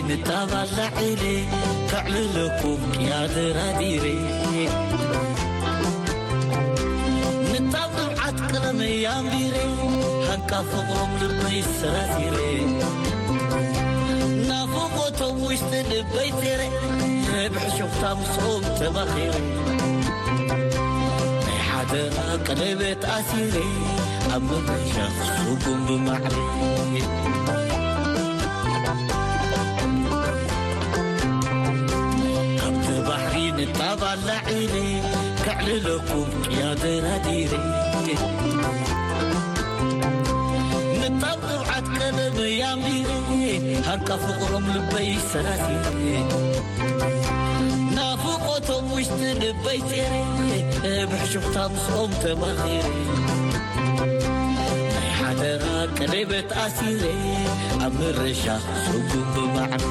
ንጣባላ ዒለ ከዕልለኩም ቅያ ደራዲረ ንጣብ ንብዓት ቀለመይ ኣንቢረ ሃንቃ ፍቕሮም ልበይ ሰራሲረ ናፍቖቶም ውሽጢ ልበይ ቴረ ብሕሹኽታ ምስኦም ተባኺረ ናይ ሓደራ ቀለበት ኣሲረ ኣብ መድረኽ ስጉም ብማዕረ ካብቲ ባሕሪ ንጣብ ኣላዒለ ከዕልለኩም ቅያ ደራዲረ ንጣብ ንብዓት ቀለመይ ኣንቢረ ሃንቃ ፍቕሮም ልበይ ሰራሲረ ናፍቖቶም ውሽጢ ልበይ ጼረ ብሕሹኽታ ምስኦም ተማኺረ ናይ ሓደራ ቀለበት ኣሲረ ኣብ ምርሻ ስጉም ብማዕረ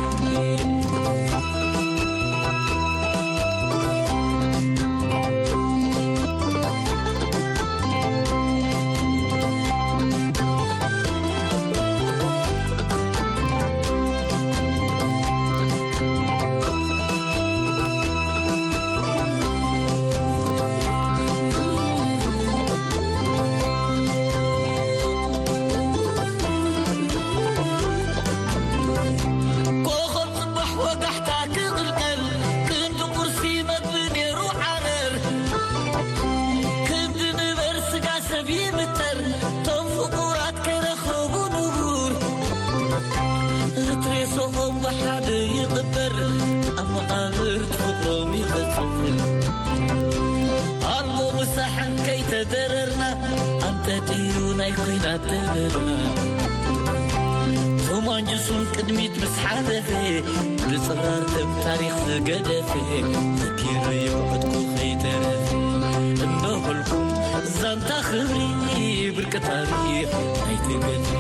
ሓደ ይቕበር ኣብ መቓብር ፍቕሮም ይቕጽል። ኣልቦ ምሳሕን ከይተደረርና ኣንጠጥዩ ናይ ኲናት ደበና። ቶማንጅሱን ቅድሚት ምስ ሓለፈ ብጽራር ደም ታሪኽ ዝገደፈ ዘኪረዮ ዕጥቁ ከይተረፈ እነሆልኩም ዛንታ ክብሪ ብርቂ ታሪኽ ናይቲ ገድሊ።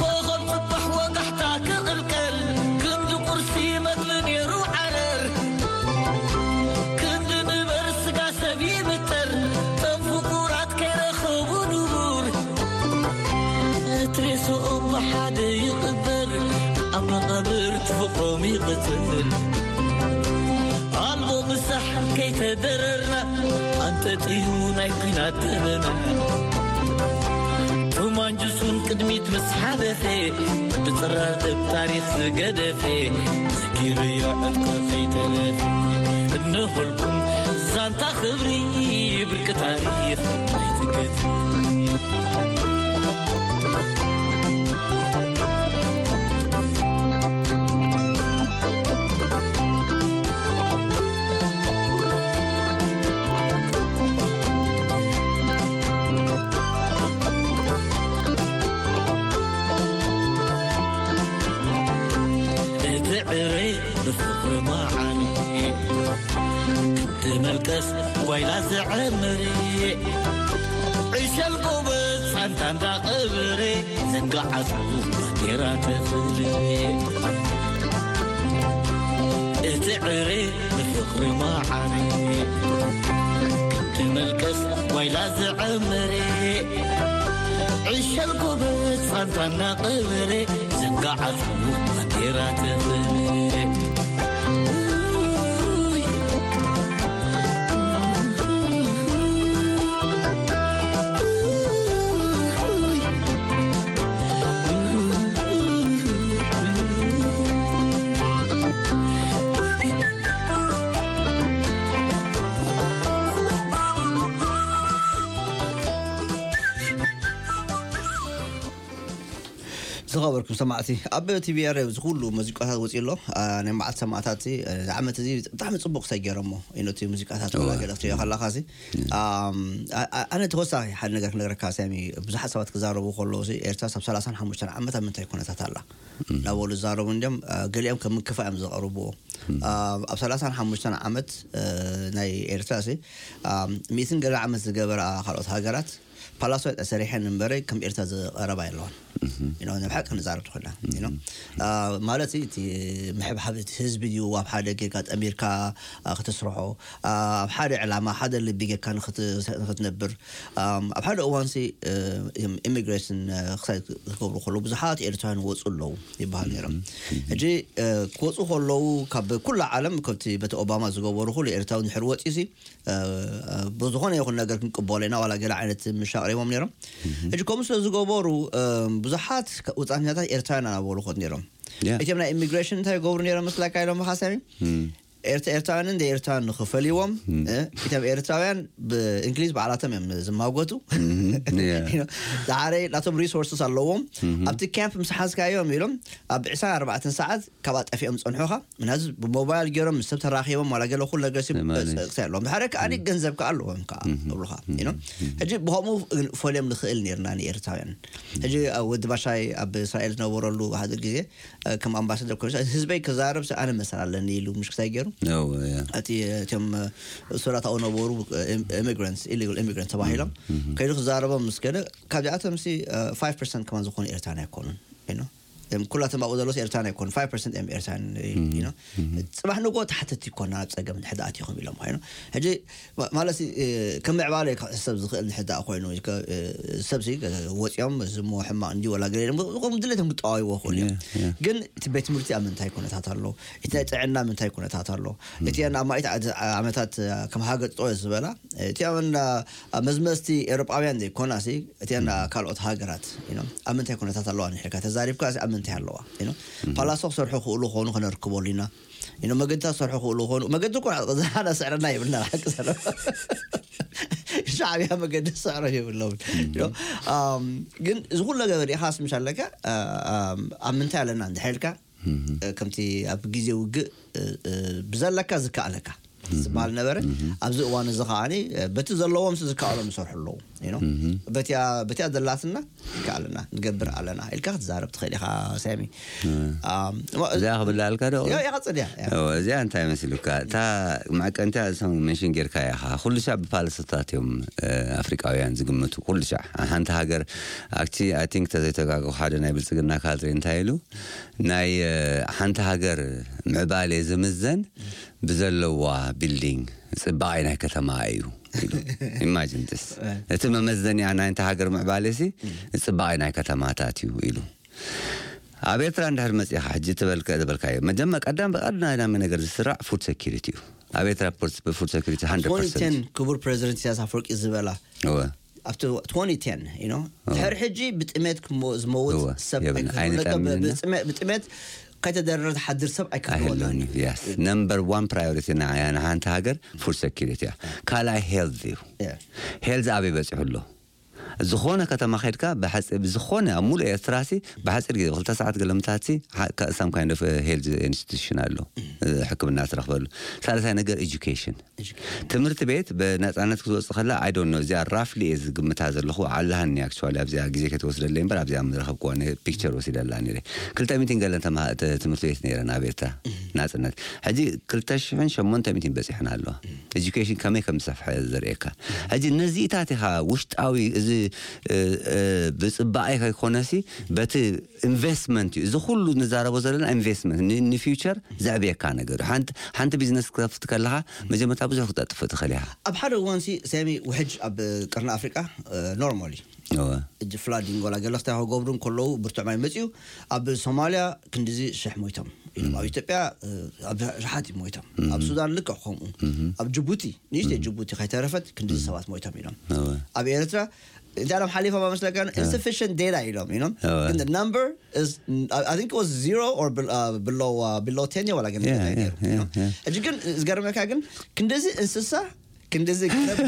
ኮኸብ ጽባሕ ወጋሕታ ክቕልቀል ክንዲ ቁርሲ መግቢ ነይሩ ዓረር ክንዲ ንበር ስጋ ሰብ ይብተር ቶም ፍቁራት ከይረኸቡ ንቡር እቲ ሬስኦም ብሓደ ይቕበር ኣብ መቓብር ትፍቕሮም ይቕጽል ኣልቦ ምሳሕ ከይተደረርና ኣንጠጥዩ ናይ ኲናት ደበና ቶማንጅሱን ቅድሚት ምስ ሓለፈ ብጽራር ደብ ታሪኽ ዝገደፈ ዘኪርዮ ዕጥቁ ከይተረፈ እነሆልኩም ዛንታ ክብሪ ብርቂ ታሪኽ ናይቲ ገድሊ። እቲ ዕረ ብፍቕሪ መዓሪ ክምቲ መልቀስ ጓይላ ዝዕምሪ ዕሸል ጎበዝ ጻንታ እንዳቐብሪ ዘንጋዓቱ ባንዴራ ተኽብሪ እቲ ዕረ ብፍቕሪ መዓሪ ክምቲ መልቀስ ጓይላ ዝዕምሪ ዕሸል ጎበዝ ጻንታ እንዳቐብሪ ዘንጋዓቱ ባንዴራ ተኽብሪ ዝኸበርኩም ሰማዕቲ ኣብ ቲቪ ኣር እዚ ኩሉ ሙዚቃታት ወፂኡ ኣሎ። ናይ መዓልቲ ሰማዕታት እዚ ዓመት እዚ ብጣዕሚ ፅቡቅ ሰጊሮሞ ኢኖቲ ሙዚቃታት ወላ ገለ ክትሪኦ ከለካ ሲ ኣነ ተወሳኺ ሓደ ነገር ክነግረካ ሳሚ። ብዙሓት ሰባት ክዛረቡ ከለዉ ሲ ኤርትራ ሳብ ሰላሳን ሓሙሽተን ዓመት ኣብ ምንታይ ኩነታት ኣላ እናበሉ ዝዛረቡ እንዲም። ገሊኦም ከም ምክፋ እዮም ዘቐርብዎ። ኣብ ሰላሳን ሓሙሽተን ዓመት ናይ ኤርትራ ሲ ሚእትን ገለ ዓመት ዝገበራ ካልኦት ሃገራት ፓላሶ ሰሪሐን እምበረ ከም ኤርትራ ዝቐረባ የለዋን። ንብሓቂ ንዛረብ ትኽእላ ማለት እቲ ምሕብሓብ እቲ ህዝቢ ድዩ ኣብ ሓደ ጌጋ ጠሚርካ ክትስርሖ ኣብ ሓደ ዕላማ ሓደ ልቢ ጌርካ ንክትነብር ኣብ ሓደ እዋንሲ ኢሚግሬሽን ክሳይ ክገብሩ ከለዉ ብዙሓት ኤርትራውያን ወፁ ኣለዉ ይበሃል ነይሮም። ሕጂ ክወፁ ከለዉ ካብ ኩላ ዓለም ከብቲ በቲ ኦባማ ዝገበሩ ኩሉ ኤርትራዊ ንድሕር ወፂ ሲ ብዝኾነ ይኹን ነገር ክንቅበሎ ኢና ዋላ ገለ ዓይነት ምሻ ኣቕሪቦም ነይሮም። ሕጂ ከምኡ ስለ ዝገበሩ ብዙሓት ውፃኛታት ኤርትራውያን ኣናበሉ ኮት ነይሮም። እቲኦም ናይ ኢሚግሬሽን እንታይ ይገብሩ ነይሮም መስላካ ኢሎም ብሓሳቢ ኤርትራውያንን ደይ ኤርትራውያን ንኽፈልይዎም እቶም ኤርትራውያን ብእንግሊዝ ባዕላቶም እዮም ዝማጎቱ። ዛሓረይ ናቶም ሪሶርስስ ኣለዎም። ኣብቲ ካምፕ ምስ ሓዝካዮም ኢሎም ኣብ ዕስራን ኣርባዕተን ሰዓት ካብኣ ጠፊኦም ዝጸንሑኻ ምናዚ ብሞባይል ገይሮም ምስ ሰብ ተራኺቦም ዋላ ገለ ኩሉ ነገር ሲ ክሳይ ኣለዎም ድሓረ ከኣ ገንዘብ ከኣ ኣለዎም ከኣ እብሉኻ። ሕጂ ብኸምኡ ፈልዮም ንኽእል ነርና ንኤርትራውያን። ሕጂ ወዲ ባሻይ ኣብ እስራኤል ዝነበረሉ ሓደ ግዜ ከም ኣምባሳደር ኮይኑ ህዝበይ ክዛረብ ኣነ መሰል ኣለኒ ኢሉ ምሽ ክሳይ ገይሩ እቲ እቶም ሱራታኡ ነበሩ ኢሚግራንትስ ኢሊጋል ኢሚግራንት ተባሂሎም ከይዱ ክዛረቦም ምስ ገለ ካብዚኣቶም ሲ ፋይቭ ፐርሰንት ከማን ዝኾኑ ኤርትራን ኣይኮኑን። ኩላቶም ኣብኡ ዘሎስ ኤርትራን ኣይኮኑ ፋይቭ ፐርሰንት እዮም ኤርትራን። ጽባሕ ንጎ ተሓተቲ ይኮና ኣብ ጸገም ድሕር ኣትኹም ኢሎም ኮይኑ ሕጂ ማለት ከም ምዕባለ ክሕሰብ ዝኽእል ድሕር ኮይኑ ሰብ ወፂኦም ዝሞ ሕማቕ እንዲ ወላ ገለ ድሌቶም ክጠዋይዎ ክኽእሉ እዮም። ግን እቲ ቤት ትምህርቲ ኣብ ምንታይ ኩነታት ኣሎ? እቲ ናይ ጥዕና ምንታይ ኩነታት ኣሎ? እቲ ኣብ ማእት ዓመታት ከም ሃገር ጠጠው ዝበላ እቲኣን መዝመዝቲ ኤውሮጳውያን ዘይኮና ሲ እቲኣን ካልኦት ሃገራት ኣብ ምንታይ ኩነታት ኣለዋ ንሕካ ተዛሪብካ ኣብ ምንታይ ኣለዋ? ፓላሶ ክሰርሑ ክእሉ ክኾኑ ክነርክበሉ ኢና። ኢኖ መገድታት ክሰርሑ ክእሉ ክኾኑ መገዲ እኮ ዝሓዳ ስዕረና የብልና ሓቂ ሰለ ሻዕብያ መገዲ ዝስዕሮ የብሎም። You know? ኣም፣ ግን እዚ ኩሉ ነገር ሪኢኻስ ምሽ ኣለካ፣ እ፣ ኣም፣ ኣብ ምንታይ ኣለና እንድሕር ኢልካ፣ እ፣ ከምቲ ኣብ ግዜ ውግእ፣ እ፣ እ፣ ብዘለካ ዝከኣለካ ዝበሃል ነበረ። ኣብዚ እዋን እዚ ከዓኒ፣ እ፣ በቲ ዘለዎም ዝከኣሎም ይሰርሑ ኣለዉ። You know? በቲያ በቲያ ዘላትና ይከኣለና፣ ንገብር ኣለና ኢልካ ክትዛረብ ትኽእል ኢኻ፣ ሳሚ። ኣም፣ እዚኣ ክብላ ኣልካ ዶ? ያ፣ ይቐጽል እያ፣ ያ። እወ፣ እዚኣ እንታይ መሲሉካ? እታ መዐቀንቲያ እዞም መንሽን ጌርካ ኢኻ። ኩሉ ሻዕ ብፓለስታት እዮም፣ እ፣ ኣፍሪቃውያን ዝግምቱ። ኩሉ ሻዕ። ሓንቲ ሃገር፣ ኣክቲ-፣ I think ተዘይተጋገኹ ሓደ ናይ ብልጽግና ካድሬ እንታይ ኢሉ? ናይ፣ እ፣ ሓንቲ ሃገር ምዕባሌ ዝምዘን ብዘለዋ ቢልዲንግ፣ ጽባቐ ናይ ከተማ እዩ ኢሉ። ኢማጂን ስ። እቲ መመዘኒያ ናይ ሓንቲ ሃገር ምዕባሌ ሲ ጽባቐ ናይ ከተማታት እዩ ኢሉ። ኣብ ኤርትራ እንድሕር መጺኻ ሕጂ ትበልከ-፣ ዝበልካዮ፣ መጀመ-፣ ቀዳም ብቐዳማይ ነገር ዝስራዕ ፉድ ሴኩሪቲ እዩ። ኣብ ኤርትራ ፉድ፣ ፉድ ሴኩሪቲ ሃንድረድ ፐርሰንት። ትወንቲ ቴን ክቡር ፕሬዚደንት ኢሳያስ ኣፈወርቂ ዝበላ፣ እወ። ኣብቲ ትወንቲ ቴን፣ you know፣ ድሕሪ ሕጂ ብጥሜት ክሞ-፣ ዝመውት እወ፣ ሰብ የብልና። ኣይክህልዎን። ኣይንጠምን። ብጥሜ-፣ ብጥሜት ከይተደረረ ዝሓድር ሰብ ኣይክህልዎን። ኣይህልዎን እዩ። የስ። ነምበር ዋን ፕራዮሪቲ ንዓያ ንሓንቲ ሃገር ፉድ ሴኩሪቲ እያ። ካልኣይ ሄልዝ እዩ። ያ። ሄልዝ ኣበይ በጺሑ ኣሎ? ዝኾነ ከተማ ኸድካ ብሓፂ-፣ ብዝኾነ ኣብ ሙሉእ ኤርትራ ሲ ብሓፂር ግዜ ብክልተ ሰዓት ገለምታት ሲ ካ-፣ some kind of health institution ኣሎ፣ ሕክምና ትረኽበሉ። ሳልሳይ ነገር ኤጁኬሽን። ትምህርቲ ቤት ብነፃነት ክትወፅእ ከላ፣ I don't know፣ እዚኣ ራፍሊ እየ ዝግምታ ዘለኹ። ኣለሃኒ ኣክቹዋሊ ኣብዚኣ ግዜ ከይትወስደለይ እምበር ኣብዚኣ ምረኸብክዋ ነ-፣ ፒክቸር ወሲደላ ነይረ። ክልተ ሚእትን ገለን ተምሃ-፣ ተ-፣ ትምህርቲ ቤት ነይረን ኣብ ኤርትራ ናፅነት። ሕጂ ክልተ ሽሕን ሸሞንተ ሚእትን በፂሐን ኣለዋ። ኤጁኬሽን ከመይ ከም ዝሰፍሐ ዘርእየካ። ሕጂ ነዚታት ኢኻ ውሽጣዊ እዚ፣ እ፣ እ፣ ብፅባቐ ከይኮነሲ በቲ ኢንቨስትመንት እዩ። እዚ ኩሉ ንዛረቦ ዘለና ኢንቨስትመንት ን-፣ ንፊውቸር ዘዕብየካ ነገር እዩ። ሓንቲ፣ ሓንቲ ቢዝነስ ክከፍት ከለኻ መጀመርታ ብዙሕ ክተጥፍእ ትኽእል ኢኻ። ኣብ ሓደ እዋን ሲ ሳሚ ውሕጅ ኣብ ቀርኒ ኣፍሪቃ፣ እ፣ ኖርማል እዩ። እወ። እጅ ፍላዲንግ ወላ ገለ ክታ ክገብሩ እንከለዉ ብርቱዕ ማይ መጽዩ ኣብ ሶማልያ ክንድዚ ሽሕ ሞይቶም ኢሎም። ኣብ ኢትዮጵያ፣ እ፣ ኣብ ሸሓት ሞይቶም። ኣብ ሱዳን ልክዕ ከምኡ። ኣብ ጅቡቲ፣ ንእሽተይ ጅቡቲ ከይተረፈት ክንድዚ ሰባት ሞይቶም ኢሎም። እወ። ኣብ ኤርትራ እንታይ ኢሎም ሓሊፎም ኣመስለካ? ኢንስፊሽንት ዴታ ኢሎም፣ you know? እወ። ግን the number is, I think it was zero or bel-, uh, below, uh, below ten ወላ ግን Yeah, yeah, yeah, yeah. ሕጂ ግን ዝገርመካ ግን ክንድዚ እንስሳ ክንድዚ ገረብ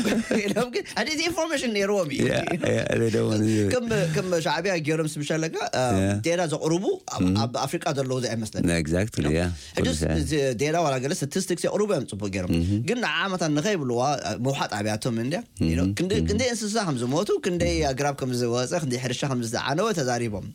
ኢሎም ግን፣ ኣደ፣ እቲ ኢንፎርሜሽን ነይርዎም እዩ። Yeah, yeah, they don't want to do it. ከም፣ ከም ሻዕብያ ገይሮም ስምሻለካ፣ አ፣ Yeah. ዴታ ዘቕርቡ ኣብ፣ ኣብ ኣፍሪቃ ዘለዉ ዘይመስለኒ። Exactly, yeah. ሕጂ ኩሉ ሰ-፣ እዚ ዴታ ዋላ ገለ ስታቲስቲክስ የቕርቡ እዮም ጽቡቅ ገይሮም። ግን ንዓመታት ንኸይብልዋ፣ አ፣ መውሓጥ ኣብያቶም እንድያ። You know? ክንደይ፣ ክንደይ እንስሳ ከም ዝሞቱ፣ ክንደይ ኣግራብ ከም ዝወጸ፣ ክንደይ ሕርሻ ከም ዝተዓነወ ተዛሪቦም።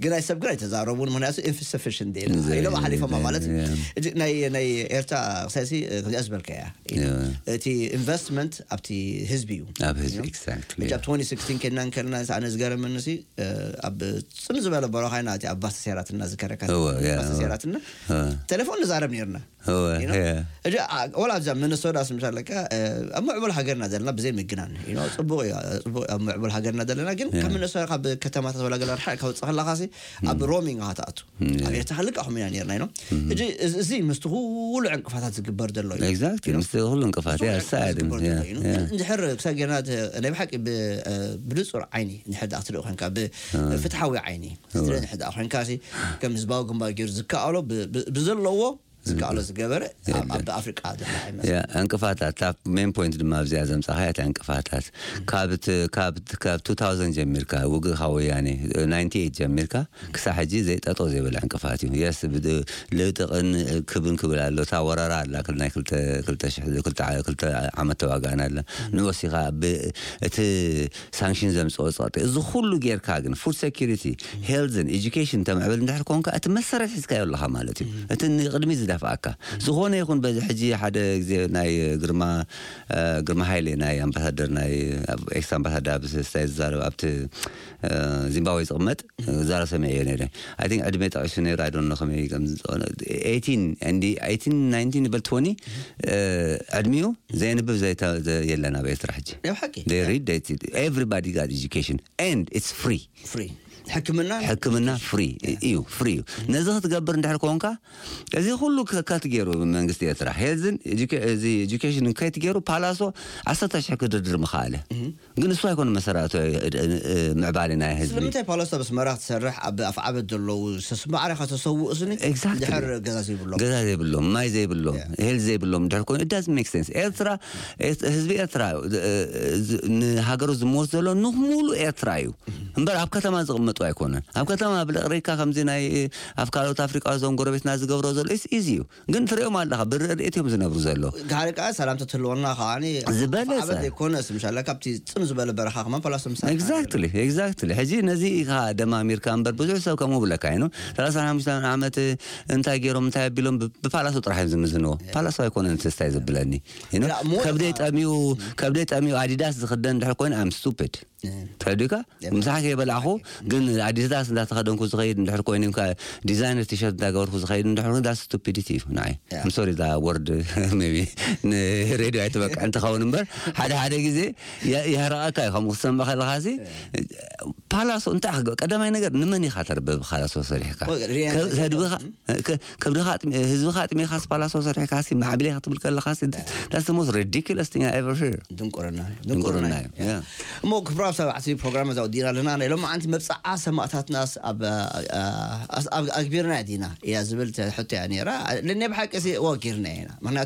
ግን ናይ ሰብ ግን ኣይተዛረቡን፣ ምክንያቱ ኢንስፊሽንት ዴታ ኢሎም ሓሊፎማ ማለት እዩ። Yeah. ሕጂ ናይ፣ ናይ ኤርትራ ክሳይሲ፣ እ፣ ከምዚኣ ዝበልካያ። Yeah. እቲ ኢንቨስትመንት ኣብቲ ህዝቢ እዩ። ኣብ ህዝቢ፣ you know? Exactly, ሕጂ ኣብ yeah. ትወንቲ ሲክስቲን ከድና እንከለና፣ ኣነ ዝገረመኒ ሲ፣ እ፣ ኣብ ጽን ዝበለ በረኻ ኢና፣ እቲ ኣብ ባስ ተሰይራትና ዝከረካ እወ፣ yeah, ባስ እወ። ተሰይራትና፣ እወ። ቴሌፎን ንዛረብ ነርና። እወ፣ you know? Yeah. ሕጂ፣ ኣ፣ ወላ ኣብዛ ሚነሶታ ስምሽ ኣለካ፣ እ፣ ኣብ ምዕቡል ሃገርና ዘለና ብዘይ ምግናን፣ you know? ጽቡቕ እዩ፣ ጽቡቕ ኣብ ምዕቡል ሃገርና ዘለና፣ ግን ካብ Yeah. ሚነሶታ ካብ ከተማታት ወላ ገለ ርሓቕ ካብ ውጽእ ከለኻ ሲ፣ ኣብ ሮሚንግ ኢኻ ትኣቱ። ኣብ ኤርትራ ልክዕ ከምኡ ኢና ነርና፣ you know? ሕጂ እዚ፣ እዚ ምስቲ ኩሉ ዕንቅፋታት ዝግበር ዘሎ እዩ። ኤግዛክትሊ፣ you know? ምስቲ ኩሉ ዕንቅፋት፣ ምስቲ ያ፣ ኩሉ ዕንቅፋት ሳዕድ፣ ዝግበር ያ፣ ዘሎ እዩ፣ you know? ያ። እንድሕር ክሳብ ጌርና ተ-፣ ናይ ብሓቂ ብ-፣ እ፣ ብንጹር ዓይኒ እንድሕር ደኣ ክትርኢ ኮንካ፣ ብ-፣ ፍትሓዊ ዓይኒ ክትርኢ እንድሕር ደኣ ኮንካ ሲ፣ ከም ህዝባዊ ግንባር ገይሩ ዝከኣሎ ብ-፣ ብ-፣ ብዘለዎ ዝከኣሎ ዝገበረ ኣብ፣ ኣብ ኣፍሪቃ ዘሎ ኣይመስልን። ያ፣ ዕንቅፋታት፣ እታ ሜን ፖይንት ድማ ኣብዚኣ ዘምጻኻያ፣ እታ ዕንቅፋታት። ካብ ት-፣ ካብ ት-፣ ካብ ቱ ታውዘንድ ጀሚርካ፣ ውግእ ካብ ወያኔ፣ ናይንቲ ኤይት ጀሚርካ፣ ክሳብ ሕጂ ዘይጠጠው ዘይበለ ዕንቅፋት እዩ። የስ፣ ብድ-፣ ልጥቕን ክብን ክብል ኣሎ። እታ ወረራ ኣላ፣ ክል-፣ ናይ ክልተ፣ ክልተ ሽሕ፣ ክልተ ዓ-፣ ክልተ ዓመት ተዋጋእና ኣላ። ንወሲኻ ብ-፣ እቲ ሳንክሽን ዘምጽኦ ጸቕጢ። እዚ ኩሉ ጌርካ ግን ፉድ ሴኩሪቲ፣ ሄልዝን ኤጁኬሽን ተምዕብል እንድሕር ኮንካ፣ እቲ መሰረት ሒዝካዮ ኣለኻ ማለት እዩ። እቲ ንቕድሚት ዝደፍኣካ። ዝኾነ ይኹን በዚ ሕጂ ሓደ ግዜ ናይ ግርማ፣ እ፣ ግርማ ሃይሌ ናይ ኣምባሳደር ናይ፣ ኣብ ኤክስ ኣምባሳደር ኣብ ስታይ ዝዛረብ ኣብቲ፣ እ፣ ዚምባብዌ ዝቕመጥ ዛረብ ሰሚዐዮ ነይረ። I think ዕድመ ጠቒሱ ነይሩ፣ I don't know ከመይ ከም ዝኾነ፣ ኤይቲን፣ and ኤይቲን፣ ናይንቲን ይበል ትወኒ፣ እ፣ ዕድሚኡ ዘየንብብ ዘይተ-፣ ዘ-፣ የለን ኣብ ኤርትራ ሕጂ። ናይ ሓቂ። They read, they see. Everybody got education and it's free. ፍሪ። ሕክምና ሕክምና ፍሪ እዩ፣ ፍሪ እዩ። ነዚ ክትገብር እንድሕር ኮንካ፣ እዚ ኩሉ ከት ገይሩ መንግስቲ ኤርትራ፣ ሄልዝን እዚ ኤጁኬሽን ከት ገይሩ፣ ፓላሶ ዓሰርተ ሽሕ ክድርድር ምኸኣለ። ግን እሱ ኣይኮነ መሰራቱ ምዕባሊ ናይ ህዝቢ። ስለምንታይ ፓላሶ ኣብ ኣስመራ ክትሰርሕ፣ ኣብ ኣፍዓበት ዘለዉ ሰስማዕረ ከተሰውእ ስኒ Exactly. ድሕር ገዛ ዘይብሎም ገዛ ዘይብሎም፣ ማይ ዘይብሎም፣ ሄል ዘይብሎም ድሕር ኮይኑ፣ it doesn't make sense። ኤርትራ፣ ህዝቢ ኤርትራ ንሃገሩ ዝመወት ዘሎ ንሙሉ ኤርትራ እዩ። እምበር ኣብ ከተማ ዝቕመጡ ኣይኮነን። ኣብ ከተማ ብለቕሪካ ከምዚ ናይ ኣብ ካልኦት ኣፍሪቃ ዞም ጎረቤትና ዝገብሮ ዘሎ ኢዚ እዩ። ግን ትሪኦም ኣለኻ፣ ብርድኢት እዮም ዝነብሩ ዘሎ። ጋር ቃ ሰላምታ ትህልወና ከዓኒ ዝበለጸ። ዘይኮነ ስምሻላ ካብቲ ጽን ዝበለ በረኻ ከማን ፓላሶ ምሳ Exactly, exactly። ሕጂ ነዚ ኢኻ ደማሚርካ እምበር ብዙሕ ሰብ ከምኡ ብለካ ይኑ ሰላሳ ሓሙሽተ ዓመት እንታይ ገይሮም እንታይ ኣቢሎም ብ- ብፓላሶ ጥራሕ እዮም ዝምዝንዎ። ፓላሶ ኣይኮነን ተስታይ ዘብለኒ። You know? ላ፣ ሞ- ከብደይ ጠሚዩ ከብደይ ጠሚዩ ኣዲዳስ ዝኽደን ድሕር ኮይኑ I'm stupid። ተረዲካ ምሳሕ ከይበላዕኹ ግን ኣዲዳስ እንዳተኸደንኩ ዝኸይድ እንድሕር ኮይኑ ዲዛይነር ቲሸርት እንዳገበርኩ ዝኸይድ እንድሕር ኮይኑ that's stupidity እዩ ንዓይ። I'm sorry that word maybe ንሬድዮ ኣይትበቅዕ እንትኸውን እምበር ሓደ ሓደ ግዜ የ- የህረቐካ እዩ። ከምኡ ክትሰምዕ ከለኻሲ ፓላሶ እንታይ ክገ- ቀዳማይ ነገር ንመን ኢኻ ተርበ ብፓላሶ ሰሪሕካ? ወይ ሪያን ከ- ህድብኻ ከ- ከብድኻ ኣጥሚ- ህዝብኻ ኣጥሚኻስ ፓላሶ ሰሪሕካሲ ማዕብሌ ክትብል ከለኻሲ that's the most ridiculous thing I ever hear። ድንቁርና ድንቁርና እዩ። Yeah. እሞ ክብራ ሰባት ሲ ፕሮግራም እዛ ወዲና ኣለና። ናይ ሎም ዓንቲ መብፅዓ ሰማእታትናስ ኣብ ኣብ- ኣግቢርና ዲና እያ ዝብል ሕቶ እያ ነራ። ለናይ ብሓቂ ሲ ወጊርና ኢና ምክንያቱ